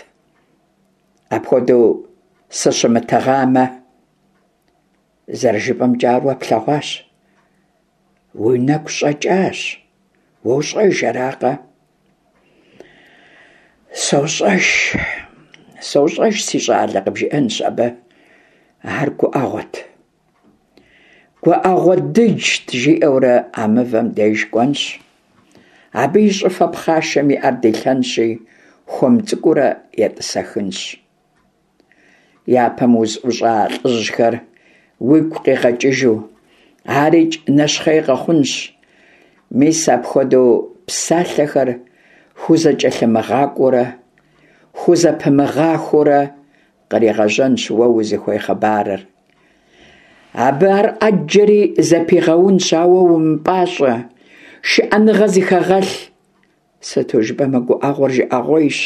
Апхуэдэу сыщымытыгъамэ, зэрыжыпӀэмкӀэ, ар уэ плъэгъуащ, уи нэгу щӀэкӀащ, уощӀэж, аракъэ? СощӀэж, сощӀэж, си щӀалэ, къыбжиӀэнщ абы. Ар гуӀэгъуэт. ГуӀэгъуэ дыджт, жиӀэурэ а мывэм деж кӀуэнщ. Абы и щӀыфэ пхъашэм и Ӏэр дилъэнщи, хуэм цӀыкӀуурэ етӀысэхынщ. Япэм узыӀущӀа лӀыжьхэр уигу къигъэкӀыжу, арикӀ нэщхъей къэхъунщ. Мис апхуэдэу псалъэхэр хузэкӀэлъымыгъакӀуэурэ, хузэпымыгъахуэурэ къригъэжьэнщ уэ узыхуей хъыбарыр. Абы ар Ӏэджэри зэпигъэунщ, ауэ умыпӀащӀэ, шыӀэныгъэ зыхэгъэлъ. Сыту жыпӀэмэ гуӀэгъуэр жыӀэгъуейщ.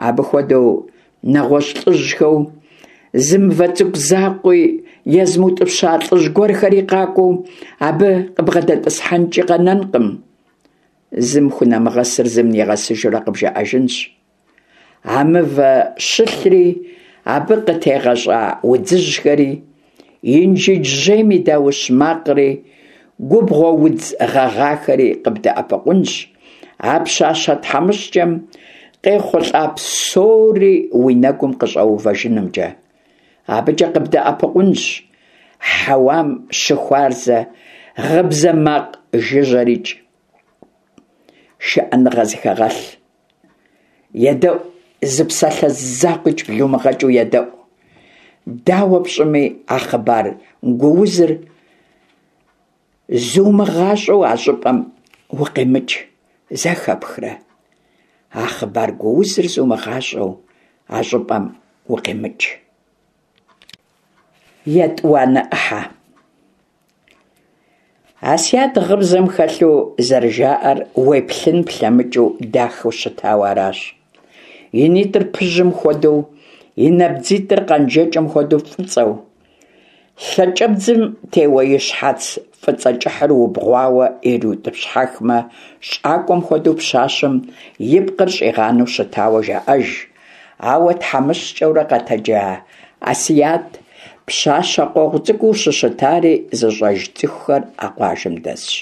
Абы хуэдэу нэгъуэщӀ лӀыжьхэу зы мывэ цӀыкӀу закъуи езымыутӀыпща лӀыжь гуэрхэри къакӀуэу абы къыбгъэдэтӀысхьэнкӀи къэнэнкъым. Зым хунэмыгъэсыр зым нигъэсыжурэ къыбжаӀэжынщ. А мывэ щылъри, абы къытегъэщӀа удзыжьхэри, Инжыдж жьейм и даущ макъри, губгъуэ удз гъэгъахэри къыбдэӀэпыкъунщ а пщащэ тхьэмыщкӀэм къехъулӀа псори уи нэгум къыщӀэувэжынымкӀэ. АбыкӀэ къыбдэӀэпыкъунщ хьэуам щыхуарзэ гъыбзэ макъ жыжьэрикӀ. ШыӀэныгъэ зыхэгъэлъ. ЕдэӀу, зы псалъэ закъуикӀ блумыгъэкӀыу едэӀу. Дауэ пщӀыми, а хъыбар гуузыр зумыгъащӀэу а щӀыпӀэм укъимыкӀ, зэхэпхрэ? А хъыбар гуузыр зумыгъащӀэу а щӀыпӀэм укъимыкӀ. ЕтӀуанэ Ӏыхьэ. Асият гъыбзэм хэлъу зэрыжаӀэр уеплъын плъэмыкӀыу дахэу щытауэ аращ. И нитӀыр пыжьым хуэдэу, и набдзитӀыр къанжэкӀэм хуэдэу фӀыцӀэу, лъакӀэбдзым теуэ и щхьэц фӀыцӀэ кӀыхьыр убгъуауэ ириутӀыпщхьэхмэ, щӀакӀуэм хуэдэу пщащэм и пкъыр щӀигъанэу щытауэ жаӀэж. Ауэ тхьэмыщкӀэурэ къэтэджа Асият пщащэ къуэгъу цӀыкӀуу щыщытари зыщӀэж цӀыхухэр а къуажэм дэсщ.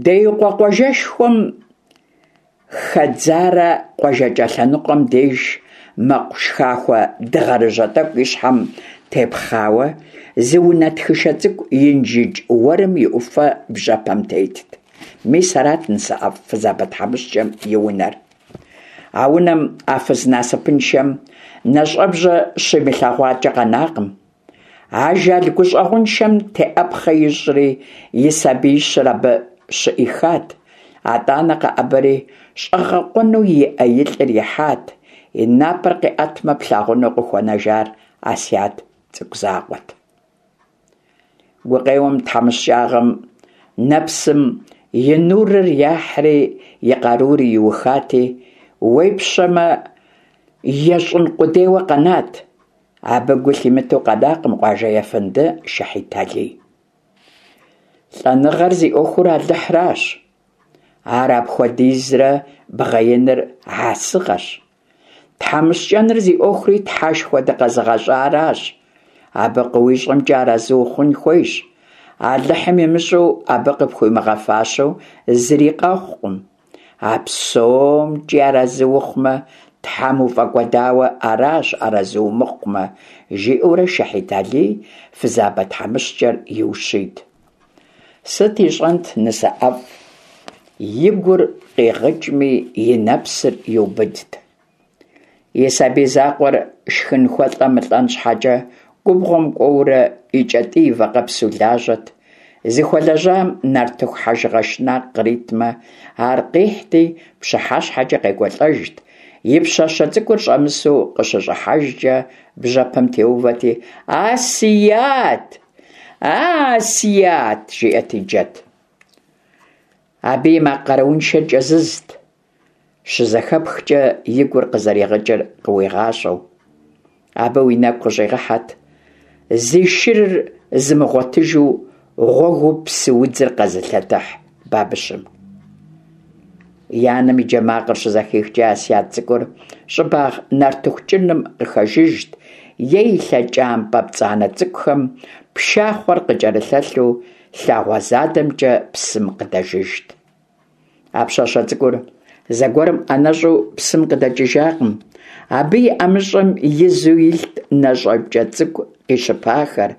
Деикъуэ къуажэшхуэм хэдзарэ къуажэкӀэ лъэныкъуэм деж мэкъу шхахуэ дыгъэрыжьэ тӀэкӀу и щхьэм тепхъауэ зы унэ тхышэ цӀыкӀу Инжыдж уэрым и Ӏуфэ бжьэпэм тетт. Мис арат нысэӀэфӀ фызабэ тхьэмыщкӀэм и унэр. А унэм а фыз насыпыншэм нэщӀэбжьэ щимылъэгъуакӀэ къэнакъым. Ажал гущӀэгъуншэм теӀэпхъэ ищӀри и сабиищыр абы щыӀихат. АтӀанэ къэӀэбэри щӀэгъэкъуэну иӀэ и лӀыр ихьат. И напӀэр къиӀэтмэ, плъагъуну къыхуэнэжар Асият цӀыкӀу закъуэт. Гукъеуэм, тхьэмыщкӀагъэм, нэпсым и нурыр яхьри и къарури иухати, уепщэмэ, ещӀын къудейуэ къэнат. Абы гу лъимытэу къэнакъым къуажэ ефэнды Шыхьит Алий. ЛӀэныгъэр зи Ӏуэхур Алыхьращ. Ар апхуэдизрэ бгъеиныр хьэсыгъэщ. ТхьэмыщкӀэныр зи Ӏуэхури Тхьэшхуэ дыкъэзыгъэщӀаращ. Абы къыуищӀэмкӀэ арэзы ухъун хуейщ. Алыхьым имыщӀэу, абы къыпхуимыгъэфащэу зыри къэхъукъым. А псомкӀи арэзы ухъумэ, Тхьэм уфӀэкӀуэдауэ аращ, арэзы умыхъумэ, жиӀэурэ Шыхьит Алий фызабэ тхьэмыщкӀэр иущийт. Сыт ищӀэнт нысэӀэфӀ, и гур къигъыкӀми, и нэпсыр иубыдт. И сабий закъуэр шхын хуэлӀэ мылӀэн щхьэкӀэ губгъуэм кӀуэурэ и кӀэтӀий вакъэпсу лажьэт. Зыхуэлэжьам нартыху хьэжыгъэ шынакъ къритмэ, ар къихьти, пщыхьэщхьэкӀэ къекӀуэлӀэжт. И пщащэ цӀыкӀур щӀэмысу къыщыщӀыхьэжкӀэ бжьэпэм теувэти, «Асият! Асият!» жиӀэти джэт. Абы и макъ къарууншэр кӀэзызт. щызэхэпхкӏэ и гур къызэригъыкӏыр къыуигъащӏэу. Абы уи нэгу къыщӏигъэхьэт зи шырыр зымыгъуэтыжу гъуэгыу псы удзыр къэзылъэтыхь бабыщым. И анэм и джэ макъыр щызэхихкӏэ Асият цӏыкӏур щӏыбагъ нартыху кӏыным къыхэжыжт е и лъэкӏампӏэ пцӏанэ цӏыкӏухэм пшахъуэр къыкӏэрылъэлъу лъагъуэ задэмкӏэ псым къыдэжыжт. А пщащэ цӏыкӏур зэгуэрым ӏэнэщӏу псым къыдэкӏыжакъым. Абы и ӏэмыщӏэм изу илът нэщӏэпкӏэ цӏыкӏу къищыпахэр,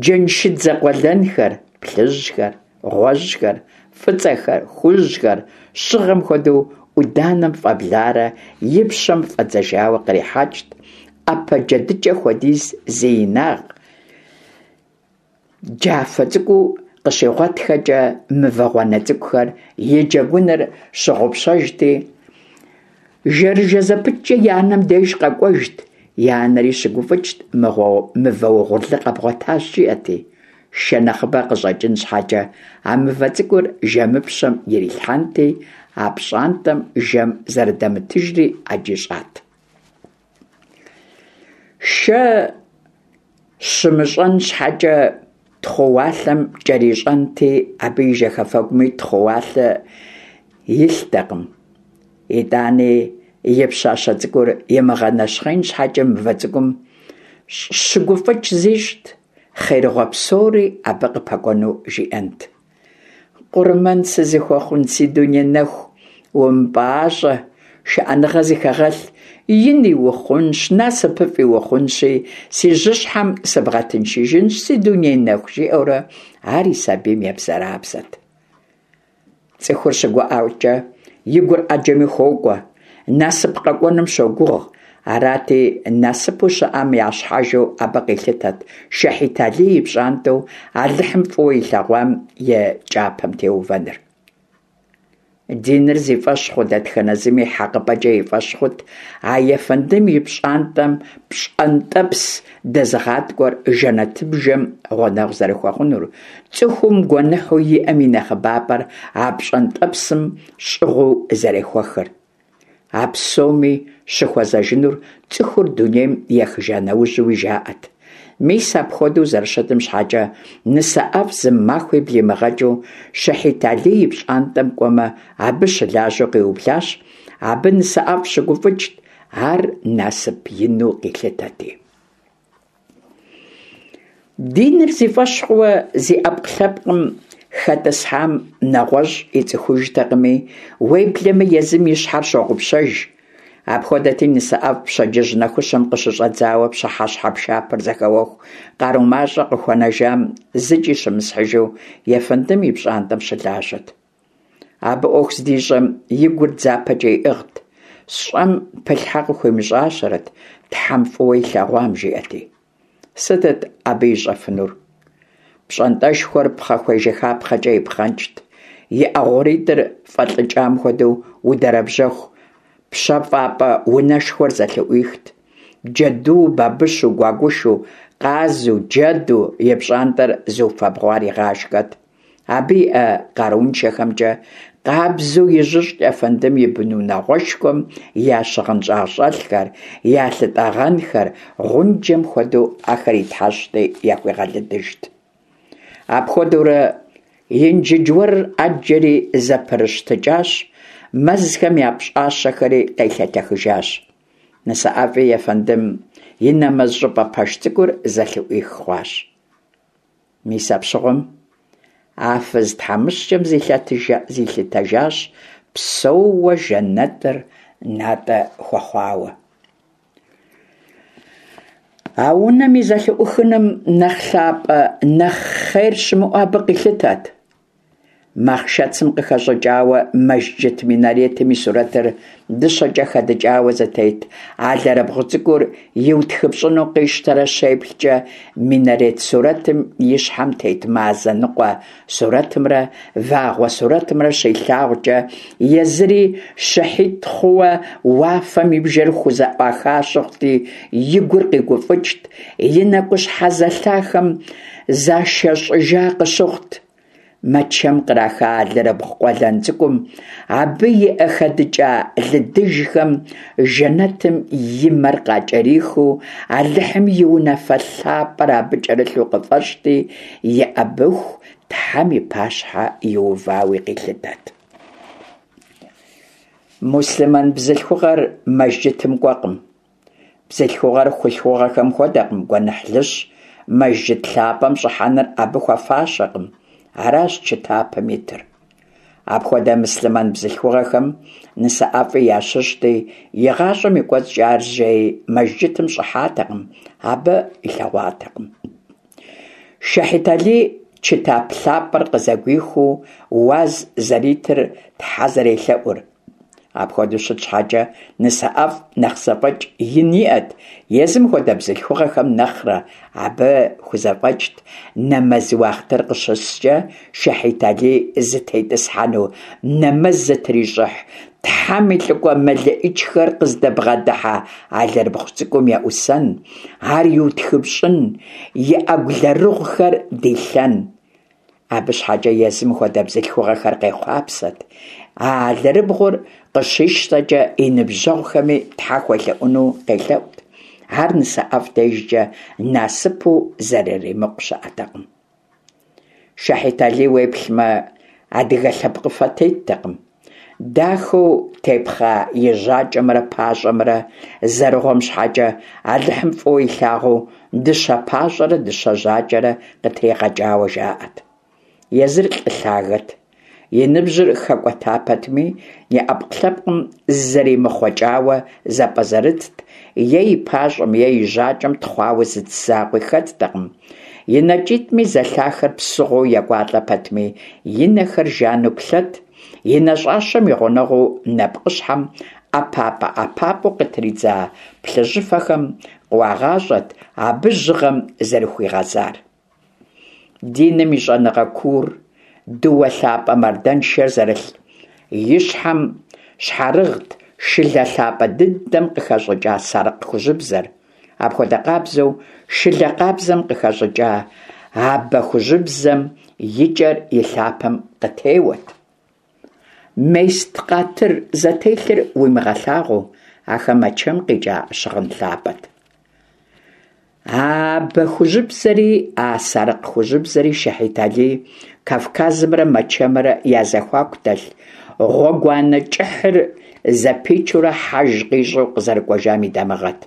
джэншыдзэ къуэлэнхэр, плъыжьхэр, гъуэжьхэр, фӏыцӏэхэр, хужьхэр, щыгъэм хуэдэу ӏуданэм фӏэбларэ и пщэм фӏэдзэжауэ кърихьэкӏт, ӏэпэ джэдыкӏэ хуэдиз зи инагъ, джафэ цӏыкӏуу къыщигъуэтхэкӏэ мывэ гъуанэ цӏыкӏухэр и джэгуныр щыгъупщэжти, жэрыжэ зэпыткӏэ и анэм деж къэкӏуэжт, и анэри щыгуфӏыкӏт мывэ угъурлы къэбгъуэтащ, жиӏэти. Шэ нэхъыбэ къыщӏэкӏын щхьэкӏэ а мывэ цӏыкӏур жэмыпщэм ирилъхьэнти, а пщӏантӏэм жэм зэрыдэмытыжри ӏэджи щӏат. Шэ щымыщӏэн щхьэкӏэ тхъууалъэм кӏэрищӏэнти, абы и жьэхэфэгуми тхъууалъэ илътэкъым. Итӏани и пщащэ цӏыкӏур имыгъэнэщхъеин щхьэкӏэ мывэ цӏыкӏум щыгуфӏыкӏ зищӏт, хъерыгъуэ псори абы къыпэкӏуэну жиӏэнт. Къурмэн сызыхуэхъун си дуней нэху, умыпӏащӏэ, шыӏэныгъэ зыхэгъэлъ, ини ухъунщ, насыпыфӏи ухъунщи, си жьыщхьэм сыбгъэтыншыжынщ, си дуней нэху, жиӏэурэ ар и сабийм ебзэрабзэт. Цӏыхур щыгуӏэкӏэ и гур ӏэджэми хуокӏуэ, насып къэкӏуэным щогугъ. Арати, насыпу щыӏэм я щхьэжу абы къилъытэт Шэхьит Алий и пщӏантӏэу Алыхьым фӏыуэ илъэгъуам и кӏапэм теувэныр. Диныр зи фӏэщ хъу дэтхэнэ зыми хьэкъыпӏэкӏэ и фӏэщ хъут а ефэндым и пщӏантӏэм пщӏэнтӏэпс дэзыгъаткӏуэр жэнэтыбжэм гъунэгъу зэрыхуэхъунур, цӏыхум гуэныхьу иӏэм и нэхъыбапӏэр а пщӏэнтӏэпсым щӏыгъуу зэрехуэхыр. А псоми щыхуэзэжынур цӏыхур дунейм ехыжа нэужьуи жаӏэт. Мис апхуэдэу зэрыщытым щхьэкӏэ нысэ ӏэфӏ зы махуи блимыгъэкӏыу Шэхьит Алий и пщӏантӏэм кӏуэмэ, абы щылажьэу къиублащ. Абы нысэ ӏэфӏ щыгуфӏыкӏт, ар насып ину къилъытэти. Диныр зи фӏэщ хъууэ зи ӏэпкълъэпкъым хэтӏысхьам нэгъуэщӏ ицӏыхужтэкъыми, уеблэмэ езым и щхьэр щогъупщэж. Апхуэдэти нысэ ӏэфӏ пщэдджыжь нэхущым къыщыщӏэдзауэ пщыхьэщхьэ пшапэр зэхэуэху къару мащӏэ къыхуэнэжам зыкӏи щымысхьыжу ефэндым и пщӏантӏэм щылажьэт. Абы ӏуэху здищӏэм и гур дзапэкӏэ иӏыгът, сщӏэм пылъхьэ къыхуимыщӏащэрэт, Тхьэм фӏыуэ илъэгъуам, жиӏэти. Сытыт абы ищӏэфынур? Пщӏантӏэшхуэр пхъэхуей жыхапхъэкӏэ ипхъэнкӏт, и ӏэ гъуритӏыр фӏэлӏыкӏам хуэдэу удэрэбжьэху пщэфӏапӏэ унэшхуэр зэлъыӏуихт. Джэду, бабыщу, гуагушу, къазу, джэду и пщӏантӏэр зыуфэбгъуар игъашхэт. Абы иӏэ къарууншэхэмкӏэ къабзэу ижьыщӏт ефэндым и бынунагъуэшхуэм я щыгъын щӏагъщӏэлъхэр, я лъытӏэгъэнхэр, гъунджэм хуэдэу ахэр итхьэщӏти яхуигъэлыдыжт. Апхуэдэурэ Инджыдж уэрыр ӏэджэри зэпырыщтыкӏащ, мэзхэм я пщӏащэхэри къелъэтэхыжащ. Нысэ ӏэфӏи ефэндым и нэмэз щӏыпӏэ пэш цӏыкӏур зэлъыӏуих хъуащ. Мис апщыгъуэм а фыз тхьэмыщкӏэм зилъытэжащ псэууэ жэнэтыр натӏэ хуэхъуауэ. А унэм и зэлъыӏухыным нэхъ лъапӏэ, нэхъ хъер щымыӏэу абы къилъытэт. Махъшэцым къыхэщӏыкӏауэ мэжджыт минаретым и сурэтыр дыщэкӏэ хэдыкӏауэ зытет алэрыбгъу цӏыкӏур иутхыпщӏыну къищтэрэ щеплъкӏэ минарет сурэтым и щхьэм тет мазэ ныкъуэ сурэтымрэ вагъуэ сурэтымрэ щилъагъукӏэ езыри щыхьит хъууэ уафэм и бжэр хузэӏуаха щыхъути, и гур къигуфӏыкӏт, и нэкӏущхьэ зэлъахэм зашэщӏыжа къыщыхъут. Мэчэм къраха алэрыбгъу къуэлэн цӏыкӏум, абы и хэдыкӏа лыдыжхэм жэнэтым и мэр къакӏэрихыу, Алыхьым и унафэ лъапӏэр абы кӏэрылъу къыфӏэщӏти, еӏэбыху Тхьэм и пащхьэ иувауи къилъытэт. Муслъымэн бзылъхугъэр мэжджытым кӏуэкъым. Бзылъхугъэр хъулъхугъэхэм хуэдэкъым, гуэныхьлыщ, мэжджыт лъапӏэм щӏыхьэныр абы хуэфащэкъым. Аращ чытапым итыр. Апхуэдэ муслъымэн бзылъхугъэхэм НысэӀэфӀи ящыщти, и гъащӀэм и кӀуэцӀкӀэ ар зэи мэжджытым щӀыхьатэкъым, абы илъэгъуатэкъым. Шэхьит Алий чытап лъапӀэр къызэгуихыу уаз зэритыр, Тхьэ зэрелъэӀур. Апхуэдэу щыт щхьэкӀэ, НысэӀэфӀ нэхъ зэфӀэкӀ ин иӀэт езым хуэдэ бзылъхугъэхэм нэхърэ, абы хузэфӀэкӀт нэмэз уахътыр къыщыскӀэ Шэхьит Алий зытетӀысхьэну нэмэз зытрищӀыхь, Тхьэм и лӀыкӀуэ мелыӀычхэр къыздыбгъэдыхьэ алэрыбгъу цӀыкӀум еӀусэн, ар иутхыпщӀын, и Ӏэгу лэрыгъухэр дилъэн. Абы щхьэкӀэ езым хуэдэ бзылъхугъэхэр къехъуапсэт. А алэрыбгъур къыщищтэкӀэ и ныбжьэгъухэми Тхьэ хуелъэӀуну къелъэӀут. Ар НысэӀэфӀ дежкӀэ насыпу зэрыримыкъу щыӀэтэкъым. Шэхьит Алий уеплъмэ, адыгэ лъэпкъыфэ теттэкъым. Дахэу тепхъа и жьакӀэмрэ пащӀэмрэ зэрыгъуэм щхьэкӀэ Алыхьым фӀыуэ илъагъуу дыщэ пащӀэрэ дыщэ жьакӀэрэ къытригъэкӀауэ жаӀэт. Езыр лӀы лъагэт. И ныбжьыр хэкӀуэта пэтми, и Ӏэпкълъэпкъым зызэримыхъуэкӀауэ зэпӀэзэрытт, е и пащӀэм, е и жьакӀэм тхъуауэ зы цы закъуи хэттэкъым. И нэкӀитӀми зэлъахэр псыгъуэу екӀуалӀэ пэтми, и нэхэр жану плъэт, и нэщӀащэм и гъунэгъуу нэпкъыщхьэм ӀэпапӀэ-ӀэпапӀэу къытридза плъыжьыфэхэм къыуагъащӀэт абы жьыгъэм зэрыхуигъэзар. Диным и щӀэныгъэ куур, дыуэ лъапӀэ мардэншэр зэрылъ и щхьэм щхьэрыгът шылэ лъапӀэ дыдэм къыхэщӀыкӀа сарыкъ хужьыбзэр. Апхуэдэ къабзэу шылэ къабзэм къыхэщӀыкӀа абэ хужьыбзэм и кӀэр и лъапэм къытеуэт. Мест къатыр зэтелъыр уимыгъэлъагъуу, ахэр Мэчэм къикӀа щыгъын лъапӀэт. А абэ хужьыбзэри, а сарыкъ хужьыбзэри Шэхьит Алий Кавказымрэ Мэчэмрэ я зэхуаку дэлъ гъуэгуанэ кӀыхьыр зэпичурэ хьэж къищӀу къызэрыкӀуэжам и дамыгъэт.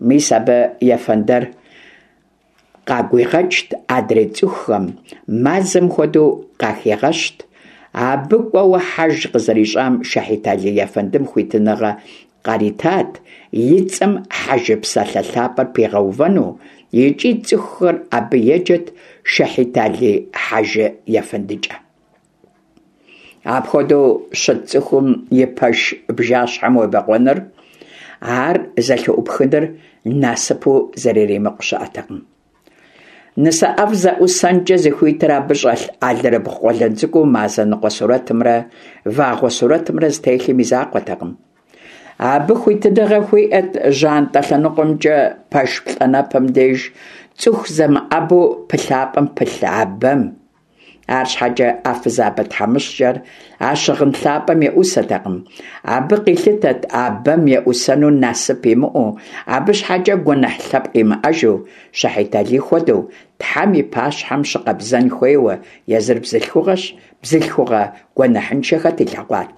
Мис абы ефэндэр къагуигъэкӀт адрей цӀыхухэм, мазэм хуэдэу къахигъэщт. Абы кӀуэуэ хьэж къызэрищӀам Шэхьит Алий ефэндым хуитыныгъэ къаритат и цӀэм хьэжы псалъэ лъапӀэр пигъэувэну, икӀи цӀыхухэр абы еджэт Шэхьит Алий хьэжы ефэндыкӀэ. Апхуэдэу щыт цӀыхум и пэш бжащхьэм уебэкъуэныр, ар зэлъыӀупхыныр насыпу зэрыримыкъу щыӀэтэкъым. НысэӀэфӀ зэӀусэнкӀэ зыхуитыр абы щӀэлъ алэрыбгъу къуэлэн цӀыкӀуу мазэ ныкъуэ сурэтымрэ вагъуэ сурэтымрэ зытелъым и закъуэтэкъым. Абы хуитыныгъэ хуиӀэт жьантӀэ лъэныкъуэмкӀэ пэш плӀанэпэм деж цӀыху зэмыӀэбу пылъапӀэм пылъ абэм. АрщхьэкӀэ а фызабэ тхьэмыщкӀэр а щыгъын лъапӀэм еӀусэтэкъым. Абы къилъытэт абэм еӀусэну насып имыӀэу, абы щхьэкӀэ гуэныхь лъэпкъ имыӀэжу, Шэхьит Алий хуэдэу Тхьэм и пащхьэм щыкъэбзэн хуейуэ, езыр бзылъхугъэщ, бзылъхугъэ гуэныхьыншэ хэт илъэгъуат?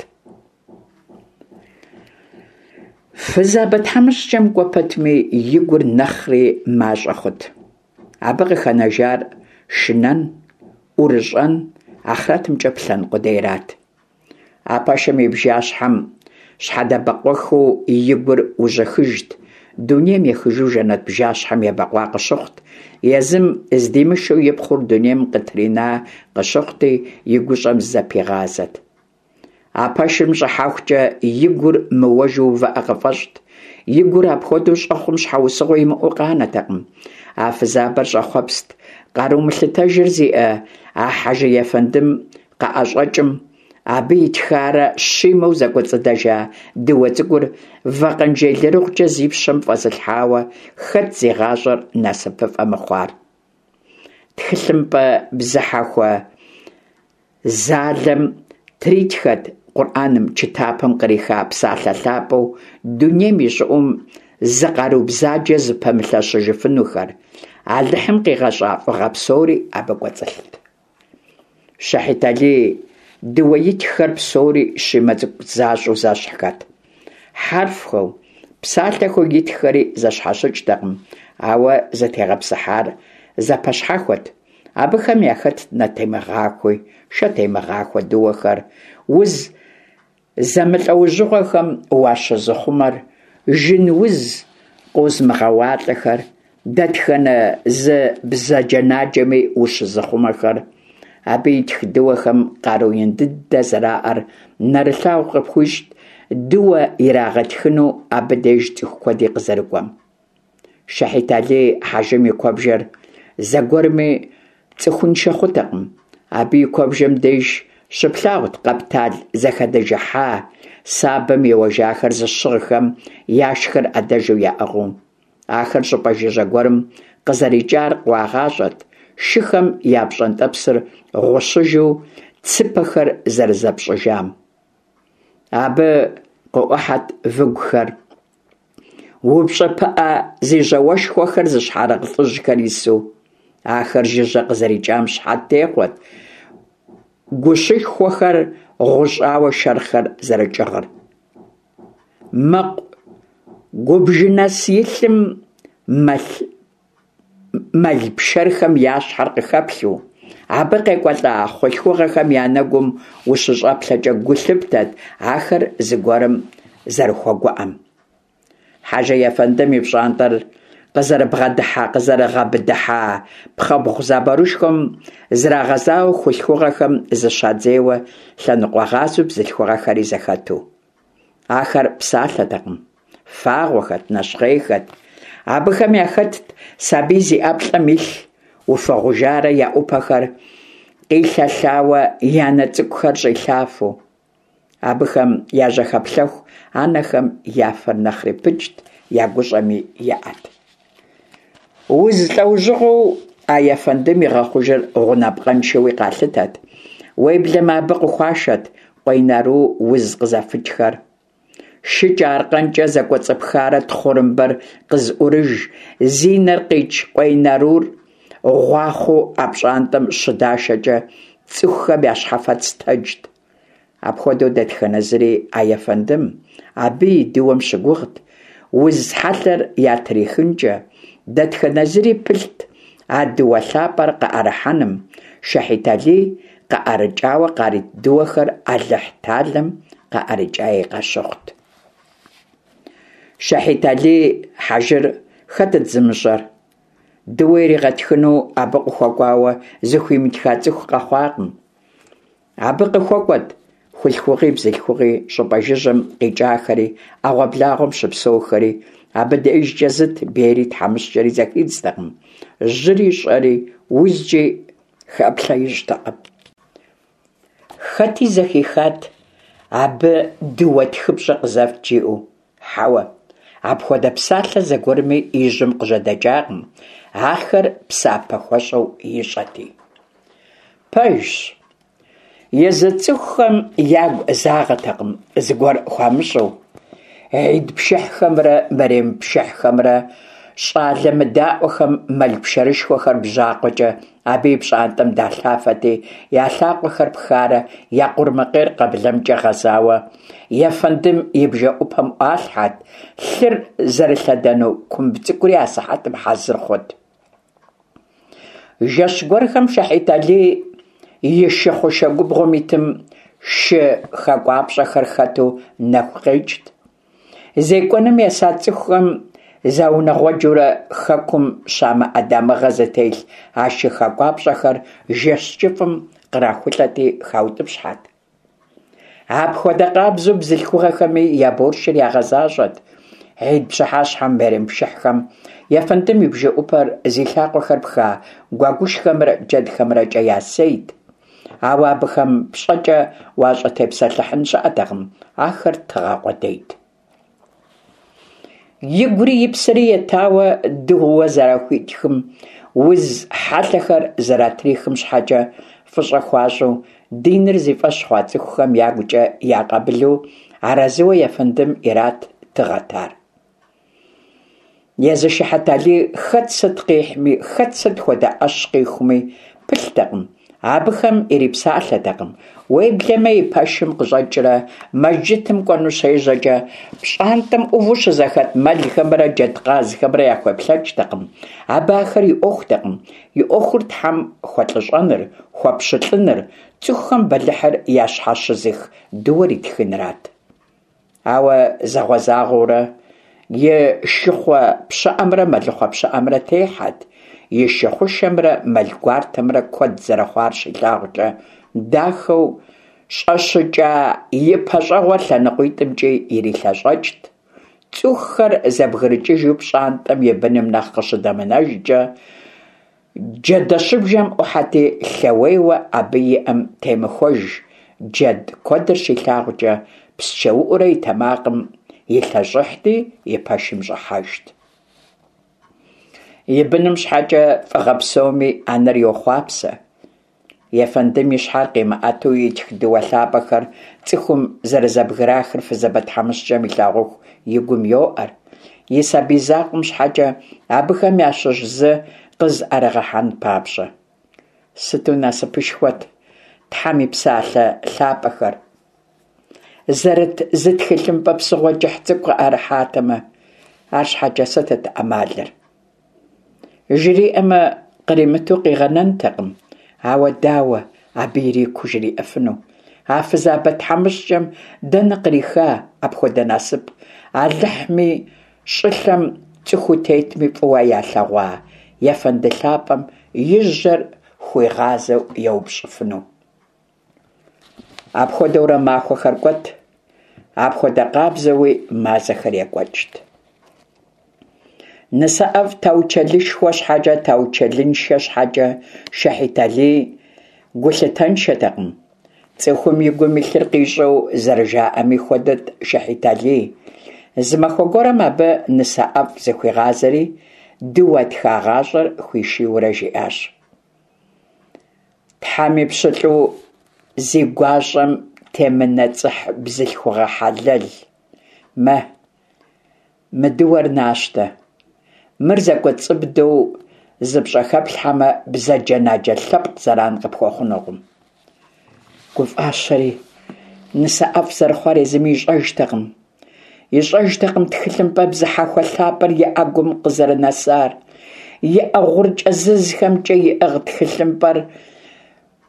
Фызабэ тхьэмыщкӀэм кӀуэ пэтми и гур нэхъри мащӀэ хъут. Абы къыхэнэжар шынэн, ӀурыщӀэн, ахърэтымкӀэ плъэн къудейрат. А пэшым и бжащхьэм щхьэдэбэкъуэхыу и гур ужьыхыжт, дунейм ехыжу жэнэт бжащхьэм ебэкъуа къыщыхъут, езым здимышэу и пхъур дунейм къытрина къыщыхъути, и гущӀэм зызэпигъазэт. А пэшым щӀыхьэхукӀэ и гур мыуэжу увыӀэ къыфӀэщӀт. И гур апхуэдэу щӀэхъум щхьэусыгъуэ имыӀэу къанэтэкъым. А фызабэр щӀэхъуэпст къару мылъытэжыр зиӀэ а хьэжы ефэндым къыӀэщӀэкӀым, абы итхарэ щимэу зэкӀуэцӀыдэжа дыуэ цӀыкӀур вакъэнжей лэрыгъукӀэ зи пщэм фӀэзылъхьауэ хэт зи гъащӀэр насыпыфӀэ мыхъуар? ТхылъымпӀэ бзыхьэхуэ Залэм тритхэт Къурӏэным, чытапым къриха псалъэ лъапӏэу дунейм и щӏыӏум зы къару бзаджэ зыпэмылъэщыжыфынухэр, Алыхьым къигъэщӏа фӏыгъэ псори абы кӏуэцӏылът. Шэхьит-Алий дыуэ итххэр псори щимэ цӏыкӏу защӏэу зэщхьхэт. Хьэрфхэу, псалъэхэу итххэри зэщхьэщыкӏтэкъым, ауэ зытегъэпсыхьар зэпэщхьэхуэт. Абыхэм яхэтт нэтемыгъахуи, шэтемыгъахуэ дыуэхэр, уз зэмылӏэужьыгъуэхэм уащызыхъумэр, жын уз къозымыгъэуалӏэхэр, дэтхэнэ зы бзаджэнаджэми ущызыхъумэхэр. Абы итх дыуэхэм къару ин дыдэ зэраӏэр нэрылъагъу къыпхуищӏт дыуэ ирагъэтхыну абы деж цӏыху куэди къызэрыкӏуэм. Шэхьит-Алий хьэжым и куэбжэр зэгуэрми цӏыхуншэ хъутэкъым. Абы и куэбжэм деж щыплъагъут къэптал зэхэдэжыхьа, сабэм еуэжахэр зыщыгъхэм яшхэр ӏэдэжу яӏыгъыу. Ахэр щӏыпӏэ жыжьэ гуэрым къызэрикӏар къыуагъащӏэт, шыхэм я пщӏэнтӏэпсыр гъущыжу цыпэхэр зэрызэпщӏыжам. Абы къыӏухьэт выгухэр, упщӏэ пыӏэ зи жьауэшхуэхэр зыщхьэрыгъ лӏыжьхэр ису. Ахэр жыжьэ къызэрикӏам щыхьэт техъуэт гущышхуэхэр гъущӏауэ шэрхъхэр зэрыкӏыгъыр. Мэкъу губжынэс илъым мэл пшэрхэм я щхьэр къыхэплъу, абы къекӏуэлӏа хъулъхугъэхэм я нэгум ущыщӏэплъэкӏэ гу лъыптэт ахэр зыгуэрым зэрыхуэгуӏэм. Хьэжы ефэндым и пщӏантӏэр къызэрыбгъэдыхьэ къызэрыгъэбыдыхьа пхъэбгъу заборышхуэм зрагъэзауэ хулъхугъэхэм зыщадзейуэ лъэныкъуэгъазэу бзылъхугъэхэри зэхэту. Ахэр псалъэтэкъым, фагъуэхэт, нэщхъейхэт. Абыхэм яхэтт сабий зи ӏэплӏэм илъ, уфэгъужарэ я ӏупэхэр къилъэлъауэ я нэ цӏыкӏухэр щӏилъафэу. Абыхэм яжьэхэплъэху анэхэм я фэр нэхъри пыкӏт, я гущӏэми еӏэт. Уз лӏэужьыгъуэу а ефэндым игъэхъужыр гъунапкъэншэуи къалъытэт. Уеблэмэ абы къыхуашэт къуейнару уз къызэфыкӏхэр. Шыкӏэ аркъэнкӏэ зэкӏуэцӏыпхарэ тхъурымбэр къызыӏурыж, зи нэр къикӏ къуейнарур гъуахъуэу а пщӏантӏэм щыдашэкӏэ цӏыхухэм я щхьэфэц тэджт. Апхуэдэу дэтхэнэ зыри а ефэндым, абы и дыуэм щыгугът, уз хьэлъэр ятрихынкӏэ, дэтхэнэ зыри пылът а дыуэ лъапӏэр къыӏэрыхьэным, Шэхьит-Алий къыӏэрыкӏауэ къарит дыуэхэр Алыхь-Талэм къыӏэрыкӏаи къащыхъут. Шэхьит-Алий хьэжыр хэтыт зымыщӏэр? Дыуэ иригъэтхыну абы къыхуэкӏуауэ зыхуимытха цӏыху къэхъуакъым. Абы къыхуэкӏуэт хулъхугъи бзылъхугъи, щӏыпӏэ жыжьэм къикӏахэри, ӏэгъуэблагъуэм щыпсэухэри. Абы дежкӏэ зыт бейри тхьэмыщкӏэри зэхидзтэкъым, жьыри щӏэри, узкӏи хэплъэ ищӏтэкъым. Хэти зэхихат абы дыуэ тхыпщӏэ къызэфт жиӏэу. Хьэуэ, апхуэдэ псалъэ зэгуэрми и жьэм къыжьэдэкӏакъым, ахэр псапэ хуэщӏэу ищӏэти. Пэжщ, езы цӏыхухэм ягу загъэтэкъым зыгуэр хуамыщӏэу. Гьид пшыхьхэмрэ мэрем пшыхьхэмрэ щӏалэ мыдаӏуэхэм мэл пшэрышхуэхэр бжьакъуэкӏэ абы и пщӏантӏэм далъафэти, я лъакъуэхэр пхарэ я къурмакъейр къэблэмкӏэ гъэзауэ ефэндым и бжэӏупэм ӏуалъхьэт, лъыр зэрылъэдэну кумб цӏыкӏури асыхьэтым хьэзыр хъут. Жэщ гуэрхэм Шэхьит-Алий и шы хъушэ губгъуэм итым шы хакӏуапщӏэхэр хэту нэху къекӏт. Зекӏуэным еса цӏыхухэм заунэгъуэджурэ хэкум щамыӏэ дамыгъэ зытелъ а шы хакӏуапщӏэхэр жэщ кӏыфӏым кърахулӏэти хаутӏыпщхьэт. Апхуэдэ къабзэу бзылъхугъэхэми я боршыр ягъэзащӏэт. Гьид пщыхьэщхьэм, мэрем пшыхьхэм ефэндым и бжэӏупэр зи лъакъуэхэр пха гуэгушхэмрэ джэдхэмрэкӏэ ясейт. Ауэ абыхэм пщӏэкӏэ уащӏытепсэлъыхьын щыӏэтэкъым, ахэр тыгъэ къудейт. Игури и псэри етауэ дыуэ зэрахуитхым, уз хьэлъэхэр зэратрихым щхьэкӏэ фӏыщӏэ хуащӏу, Диныр зи фӀэщ хъуа цӀыхухэм ягукӀэ якъабылу, арэзыуэ ефэндым ират тыгъэт ар. Езы Шыхьэталий хэт сыт къихьми, хэт сыт хуэдэ Ӏэщ къихуми пылътэкъым, абыхэм ирипсалъэтэкъым. Уеблэмэ и пэшым къыщӀэкӀрэ мэжджытым кӀуэну щежьэкӀэ, пщӀантӀэм Ӏуву щызэхэт мэлхэмрэ джэдкъазхэмрэ яхуеплъэкӀтэкъым, абы ахэр и Ӏуэхутэкъым, и Ӏуэхур Тхьэм хуэлӀыщӀэныр, хуэпщылӀыныр, цӀыхухэм бэлыхьыр ящхьэщызых дыуэр итхынырат. Ауэ зэгъуэзагъуэурэ и шыхъуэ пщыӀэмрэ мэлыхъуэ пщыӀэмрэ техьэт, и шы хъушэмрэ мэл гуартэмрэ куэд зэрыхъуар щилъагъукӀэ, дахэу щӀэщыкӀа и пащӀэгъуэр лъэныкъуитӀымкӀи ирилъэщӀэкӀт. ЦӀыхухэр зэбгрыкӀыжу пщӀантӀэм и быным нэхъ къыщыдэмынэжкӀэ, джэдэщыбжэм Ӏухьэти, лъэуейуэ абы иӀэм темыхуэж джэд куэдыр щилъагъукӀэ, псчэуӀуурэ и тэмакъым илъэщӀыхьти, и пэшым щӀыхьэжт. И быным щхьэкӀэ фӀыгъэ псоми анэр йохъуапсэ. Ефэндым и щхьэр къимыӀэту итх дыуэ лъапӀэхэр цӀыхум зэрызэбграхыр фызабэ тхьэмыщкӀэм илъагъуху и гум йоӀэр, и сабий закъуэм щхьэкӀэ абыхэм ящыщ зы къызыӀэрыгъэхьэн папщӀэ. Сыту насыпышхуэт Тхьэм и псалъэ лъапӀэхэр зэрыт зы тхылъымпӀэ псыгъуэ кӀыхь цӀыкӀу къыӀэрыхьатэмэ, арщхьэкӀэ сытыт Ӏэмалыр? ЖриӀэмэ, къримыту къигъэнэнтэкъым, ауэ дауэ абы ирикуу жриӀэфыну? А фызабэ тхьэмыщкӀэм дэнэ къриха апхуэдэ насып, Алыхьми щӀылъэм цӀыхуу тетми фӀыуэ ялъэгъуа ефэнды лъапӀэм и жьэр хуигъазэу еупщӀыфыну? Апхуэдэурэ махуэхэр кӀуэт, апхуэдэ къабзэуи мазэхэр екӀуэкӀт. НысэӀэфӀ таучэлышхуэ щхьэкӀэ, таучэлыншэ щхьэкӀэ Шыхьэталий гулъытэншэтэкъым. ЦӀыхум и гум илъыр къищӀэу зэрыжаӀэми хуэдэт Шыхьэталий. Зы махуэ гуэрым абы НысэӀэфӀ зыхуигъазэри, дыуэ тхагъащӀэр хуишийурэ жиӀащ: «Тхьэм и пщылӀу зи гуащӀэм темынэцӀыхь бзылъхугъэ хьэлэл, мэ, мы дыуэр нащтэ. Мыр зэкӀуэцӀыбдэу зыпщӀэхэплъхьэмэ, бзаджэнаджэ лъэпкъ зэран къыпхуэхъунукъым». ГуфӀащэри, НысэӀэфӀ зэрыхъуар езыми ищӀэжтэкъым. ИщӀэжтэкъым тхылъымпӀэ бзыхьэхуэ лъапӀэр и Ӏэгум къызэрынэсар. И Ӏэ гъур кӀэзызхэмкӀэ иӀыгъ тхылъымпӀэр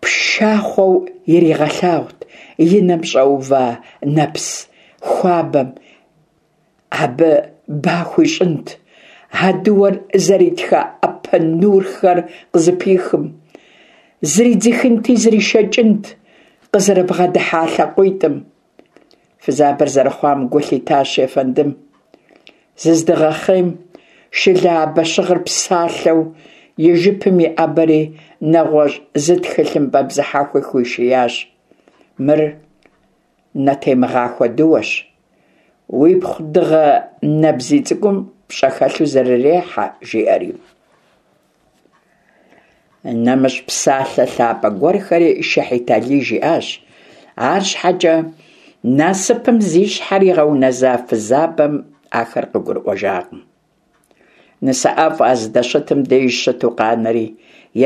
пшахъуэу иригъэлъагъут и нэм щӀэува нэпс хуабэм, абы ба хуищӀынт, а дыуэр зэритха Ӏэпэ нурхэр къызыпихым. Зридзыхынти зришэкӀынт къызэрыбгъэдыхьа лъакъуитӀым. Фызабэр зэрыхъуам гу лъитащ ефэндым. Зыздигъэхъейм, шылэ абэщыгъыр псалъэу и жыпым иӀэбэри, нэгъуэщӀ зы тхылъымпӀэ бзыхьэхуи хуишиящ. Мыр нэтемыгъахуэ дыуэщ, уипхъу дыгъэ нэбзий цӀыкӀум пщӀэ хэлъу зэрырехьэ, жиӀэри. НэмыщӀ псалъэ лъапӀэ гуэрхэри Шыхьэталий жиӀащ, арщхьэкӀэ насыпым зи щхьэр игъэунэза фызабэм ахэр къыгурыӀуэжакъым. НысэӀэфӀ а здэщытым деж щыту къанэри,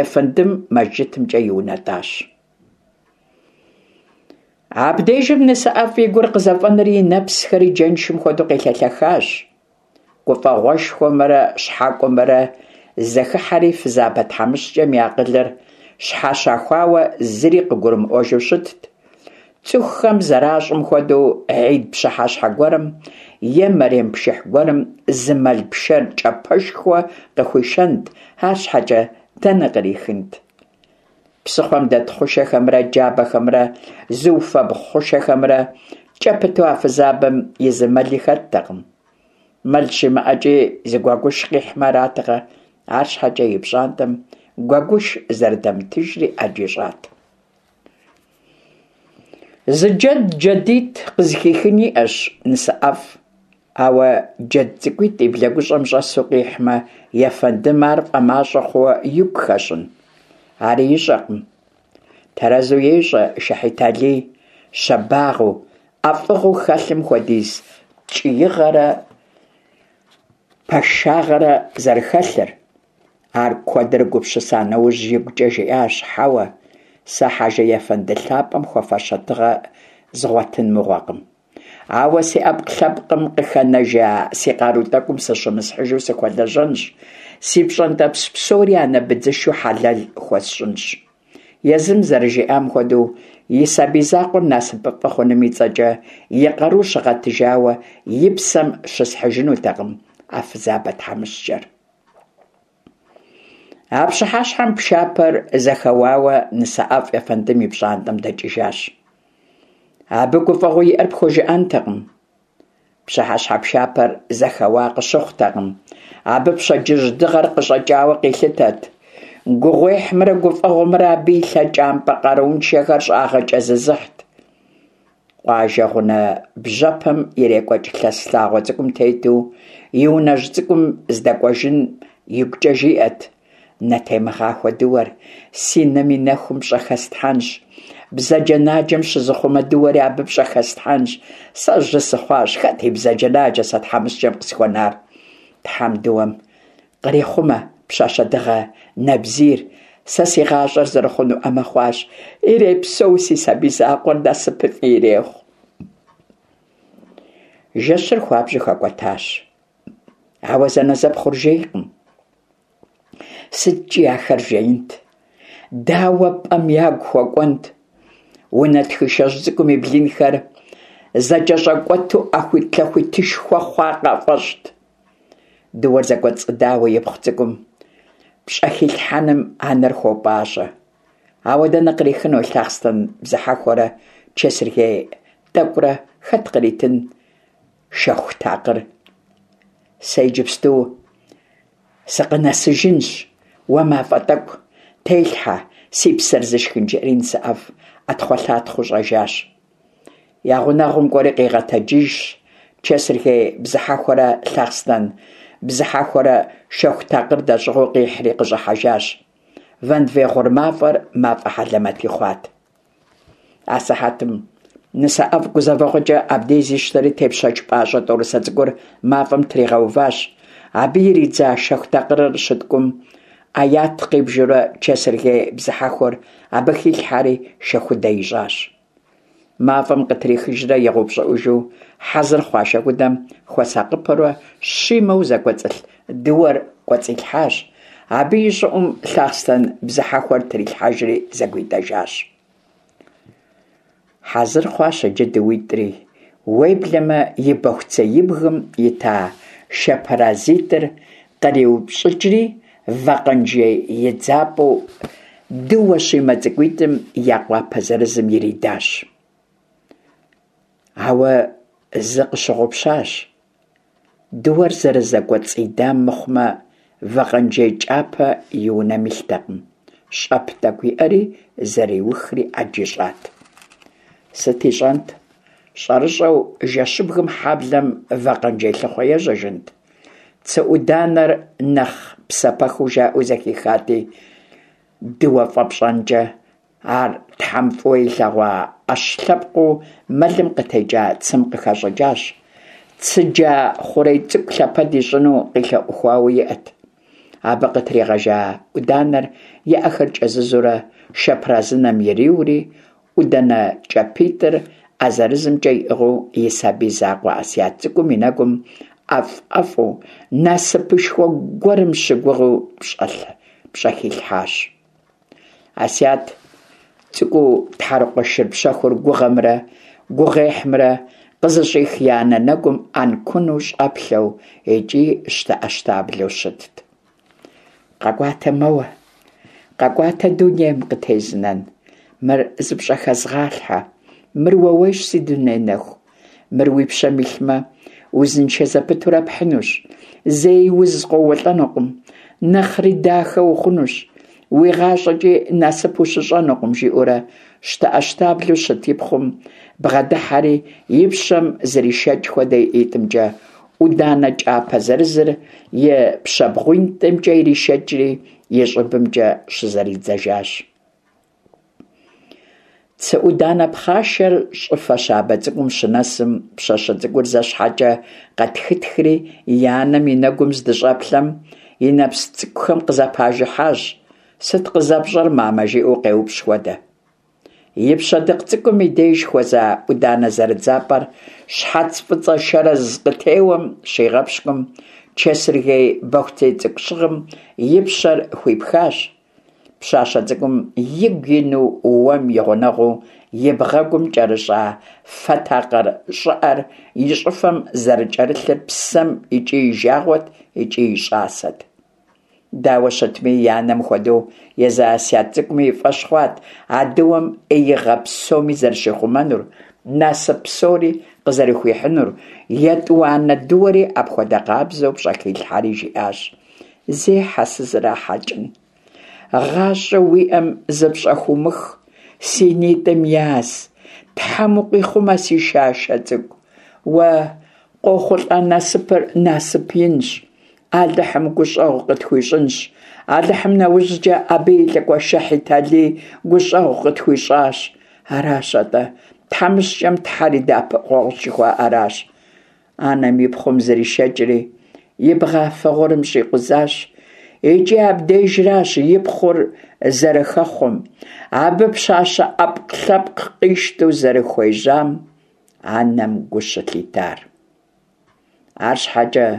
ефэндым мэжджытымкӀэ иунэтӀащ. Абдежым НысэӀэфӀ и гур къызэфӀэнэри и нэпсхэри джэншым хуэдэу къелъэлъэхащ. ГуфӀэгъуэшхуэмрэ щхьэкӀуэмрэ зэхыхьэри, фызабэ тхьэмыщкӀэм и акъылыр щхьэщахуауэ зыри къыгурымыӀуэжу щытт. ЦӀыхухэм зэращӀым хуэдэу, гьид пщыхьэщхьэ гуэрым е мэрем пшыхь гуэрым зы мэл пшэр кӀапэшхуэ къыхуишэнт, арщхьэкӀэ дэнэ кърихынт? Псыхъуэм дэт хъушэхэмрэ джабэхэмрэ зыуфэбгъу хъушэхэмрэ кӀэ пыту а фызабэм и зы мэли хэттэкъым. Мэл щимыӀэкӀи зы гуэгуш къихьмэ аратэкъэ, арщхьэкӀэ и пщӀантӀэм гуэгуш зэрыдэмытыжри Ӏэджи щӀат. Зы джэд джэдитӀ къызыхихын иӀэщ НысэӀэфӀ, ауэ джэд цӀыкӀуитӀ и блэгущӀэм щӀэсу къихьмэ, ефэндым ар фӀэмащӀэ хъууэ игу хэщӀын? Ари ищӀэкъым. Тэрэзу ещӏэ Шэхьит Алий щабагъыу, ӏэфӏыгъэу хэлъым хуэдиз ткӏиигъэрэ пашагъэрэ зэрыхэлъыр. Ар куэдрэ гупсыса нэужь, игукӏэ жиӏащ: «Хьэуэ, сэ хьэжы-ефэнды лъапӏэм хуэфащэ тыгъэ згъуэтын мыгъуэкъым. Ауэ си ӏэпкълъэпкъым къыхэнэжа си къару тӏэкӏум сыщымысхьыжу сыхуэлэжьэнщ, си пщӏэнтӏэпс псори анэ быдзышэу хьэлэл хуэсщӏынщ». Езым зэрыжиӏам хуэдэу, и сабий закъуэр насыпыфӏэ хъуным и цӏэкӏэ и къару щыгъэтыжауэ и псэм щысхьыжынутэкъым а фызабэ тхьэмыщкӏэр. А пщыхьэщхьэм пшапэр зэхэуауэ нысэӏэфӏ ефэндым и пщӏантӏэм дэкӏыжащ. Абы гуфӏэгъуэу иӏэр пхужыӏэнтэкъым. Пщыхьэщхьэ пшапэр зэхэуа къыщыхъутэкъым. Абы пщэдджыжь дыгъэр къыщӏэкӏауэ къилъытэт. Гугъуехьымрэ гуфӏэгъуэмрэ абы и лъэкӏампӏэ къарууншэхэр щӏагъэкӏэзызыхьт. Къуажэ гъунэ бжьэпэм ирекӏуэкӏ лъэс лъагъуэ цӏыкӏум тету и унэжь цӏыкӏум здэкӏуэжым игукӏэ жиӏэт: «Нэтемыгъахуэ дыуэр си нэм и нэхум пщӏэхэслъхьэнщ, бзаджэнаджэм щызыхъумэ дыуэри абы пщӏэхэслъхьэнщ. Сэ жьы сыхъуащ, хэт и бзаджэнаджэ сэ тхьэмыщкӏэм къысхуэнар? Тхьэм дыуэм кърехъумэ пщащэ дыгъэ нэбзийр, сэ си гъащӏэр зэрыхъунуӏэмэ хъуащ, ирепсэу си сабий закъуэр, насыпыфӏи ирехъу». Жэщыр хуабжьу хэкӏуэтащ. Ауэ зэнэзэпхъур жейкъым. СыткӀи ахэр жеинт? Дауэ пӀэм ягу хуэкӀуэнт? Унэ тхышэжь цӀыкӀум и блынхэр зэкӀэщӀэкӀуэту Ӏэхуитлъэхуитышхуэ хъуа къафӀэщӀт. Дыуэр зэкӀуэцӀыдауэ ипхъу цӀыкӀум пщӀэхилъхьэным анэр хуопӀащӀэ. Ауэ дэнэ кърихыну лъахъстэн бзыхьэхуэрэ чэсыргей тӀэкӀурэ, хэт къритын шэху такъыр? Сэ иджыпсту сыкъынэсыжынщ, уэ мафӀэ тӀэкӀу телъхьэ, си псэр зышхын, жиӀэри нысэӀэфӀ Ӏэтхъуэлъатхъуэу щӀэжащ. Я гъунэгъум кӀуэри къигъэтэджыжщ, чэсыргей бзыхьэхуэрэ лъахъстэн бзыхьэхуэрэ шэху такъыр дэщӀыгъуу къихьри къыщӀыхьэжащ. Вэнвей гъур мафӀэр мафӀэ хьэлэмэти хъуат. Асыхьэтым нысэӀэфӀ гузэвэгъуэкӀэ абдей зищтэри тепщэч пӀащӀэ тӀорысэ цӀыкӀур мафӀэм тригъэуващ. Абы иридза шэху такъырыр щыткӀум, Ӏэят къибжурэ чэсыргей бзыхьэхуэр абы хилъхьэри шэхудэ ищӀащ. МафӀэм къытрихыжрэ игъэупщӀыӀужу хьэзыр хъуа шэхудэм хуэсакъыпэурэ щимэу зэкӀуэцӀылъ дыуэр кӀуэцӀилъхьащ. Абы и щӀыӀум лъахъстэн бзыхьэхуэр трилъхьэжри зэгуидэжащ. Хьэзыр хъуащ иджы дыуитӀри, уеблэмэ и бохуцеибгым ита шэпэразитӀыр къриупщӀыкӀри вакъэнжей идзапӀэу дыуэ щимэ цӀыкӀуитӀым я къуапэ зырызым иридащ. Ауэ зы къыщыгъупщащ: дыуэр зэрызэкӀуэцӀидам мыхъумэ, вакъэнжей кӀапэ и унэм илътэкъым, щӀэп тӀэкӀу иӀэри зэриухри Ӏэджи щӀат. Сыт ищӀэнт? ЩӀэрыщӀэу жэщыбгым хьэблэм вакъэнжей лъыхъуэ ежьэжынт? Цы Ӏуданэр нэхъ псапэхыу жаӀэу зэхихати, дыуэ фӀэпщӀэнкӀэ, ар Тхьэм фӀыуэ илъэгъуа Ӏэщ лъэпкъыу мэлым къытекӀа цым къыхэщӀыкӀащ. Цыджа хъурей цӀыкӀу лъэпэд ищӀыну къилъэӀухуауэ иӀэт. Абы къытригъэжа Ӏуданэр и Ӏэхэр кӀэзызурэ шэпэразынэм ириури, Ӏудэнэ кӀапитӀыр Ӏэ зырызымкӀэ иӀыгъыу и сабий закъуэ Ӏэсият цӀыкӀум и нэгум ӀэфӀ-ӀэфӀу, насыпышхуэ гуэрым щыгугъыу пщӀэхилъхьащ. Ӏэсият цӀыкӀуу тхьэрыкъуэ шыр пщэхур гугъэмрэ гугъуехьымрэ къызыщӀих и анэ нэгум Ӏэнкуну щӀэплъэу икӀи щтэӀэщтаблэу щытт. «КъэкӀуатэ мэуэ, къэкӀуатэ дунейм къытезынэн, мыр зыпщӀэхэзгъалъхьэ, мыр уэуейщ, си дуней нэху, мыр уи пщэм илъмэ, узыншэ зэпытурэ пхьынущ, зэи уз къоуэлӀэнукъым, нэхъри дахэ ухъунущ, уи гъащӀэкӀи насып ущыщӀэнукъым», жиӀэурэ щтэӀэщтаблэу щыт и пхъум бгъэдыхьэри и пщэм зришэкӀ хуэдэ и ӀитӀымкӀэ Ӏуданэ кӀапэ зырызыр и пщэбгъуитӀымкӀэ иришэкӀри и щӀыбымкӀэ щызэридзэжащ. Цы Ӏуданэ пхъашэр щӀыфэ щабэ цӀыкӀум щынэсым, пщащэ цӀыкӀур зэ щхьэкӀэ къэтхытхри, и анэм и нэгум здыщӀэплъэм, и нэпс цӀыкӀухэм къызэпажыхьащ, «Сыт къызэпщӀэр, мамэ?» жиӀэу къеупщӀ хуэдэ. И пщэдыкъ цӀыкӀум и деж хуэза Ӏуданэ зэрыдзапӀэр щхьэц фӀыцӀэ шэрэз къытеуэм щигъэпщкӀум, чэсыргей бохуцей цӀыкӀу щыгъым и пщэр хуипхащ. Пщащэ цӀыкӀум игу ину уэм и гъунэгъуу и бгъэгум кӀэрыщӀа фэ такъыр щӀыӀэр и щӀыфэм зэрыкӀэрылъыр псэм икӀи и жагъуэт, икӀи и щӀасэт. Дауэ щытми, и анэм хуэдэу езы Асият цӀыкӀуми и фӀэщ хъуат а дыуэм Ӏеигъэ псоми зэрыщихъумэнур, насып псори къызэрыхуихьынур, етӀуанэ дыуэри апхуэдэ къабзэу пщӀэхилъхьэри жиӀащ: «Зехьэ, сызэрахьэкӀын, гъащӀэу уиӀэм зыпщӀэхыумых, си нитӀым яз, Тхьэм укъихъумэ, си шашэ цӀыкӀу, уэ къохъулӀа насыпыр насып инщ, Алыхьым гущӀэгъу къытхуищӀынщ, Алыхьым нэужькӀэ абы и лӀыкӀуэ Шэхьит Алий гущӀэгъу къытхуищӀащ. Аращ атӀэ, тхьэмыщкӀэм Тхьэр и дэӀэпыкъуэгъущ жыхуаӀэращ». Анэм и пхъум зришэкӀри, и бгъафэ гъурым щӀикъузащ. ИкӀи абдежращ и пхъур зэрыхэхъуэм, абы пщащэ Ӏэпкълъэпкъ къищтэу зэрыхуежьам анэм гу щылъитар. АрщхьэкӀэ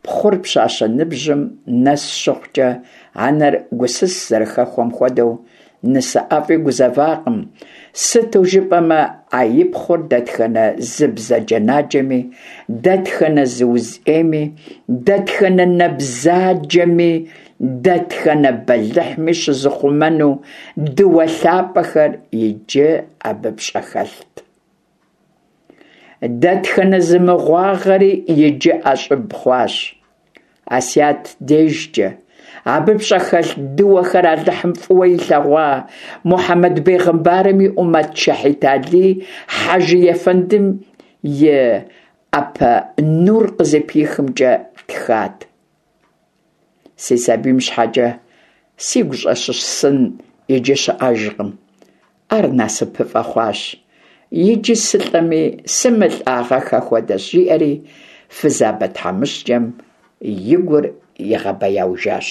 пхъур пщащэ ныбжьым нэс щыхъукӀэ, анэр гусыс зэрыхэхуэм хуэдэу, нысэ ӀэфӀи гузэвакъым, сыту жыпӀэмэ а и пхъур дэтхэнэ зы бзаджэнаджэми, дэтхэнэ зы уз Ӏейми, дэтхэнэ нэ бзаджэми, дэтхэнэ бэлыхьми щызыхъумэну дыуэ лъапӀэхэр иджы абы пщӀэхэлът. Дэтхэнэ зы мыгъуагъэри иджы ӀэщӀыб хъуащ. Асият дежкӀэ абы пщӀэхэлъ дыуэхэр Алыхьым фӀыуэ илъэгъуа Мухьэмэд бегъымбарым и Ӏумэт Шэхьит Алий хьэжы ефэндым и Ӏэпэ нур къызыпихымкӀэ тхат. Си сабийм щхьэкӀэ сигу щӀэщысын иджы щыӀэжкъым. Ар насыпыфӀэ хъуащ. Иджы сылӀэми сымылӀагъэххэ хуэдэщ, жиӀэри фызабэ тхьэмыщкӀэм и гур игъэбэяужащ.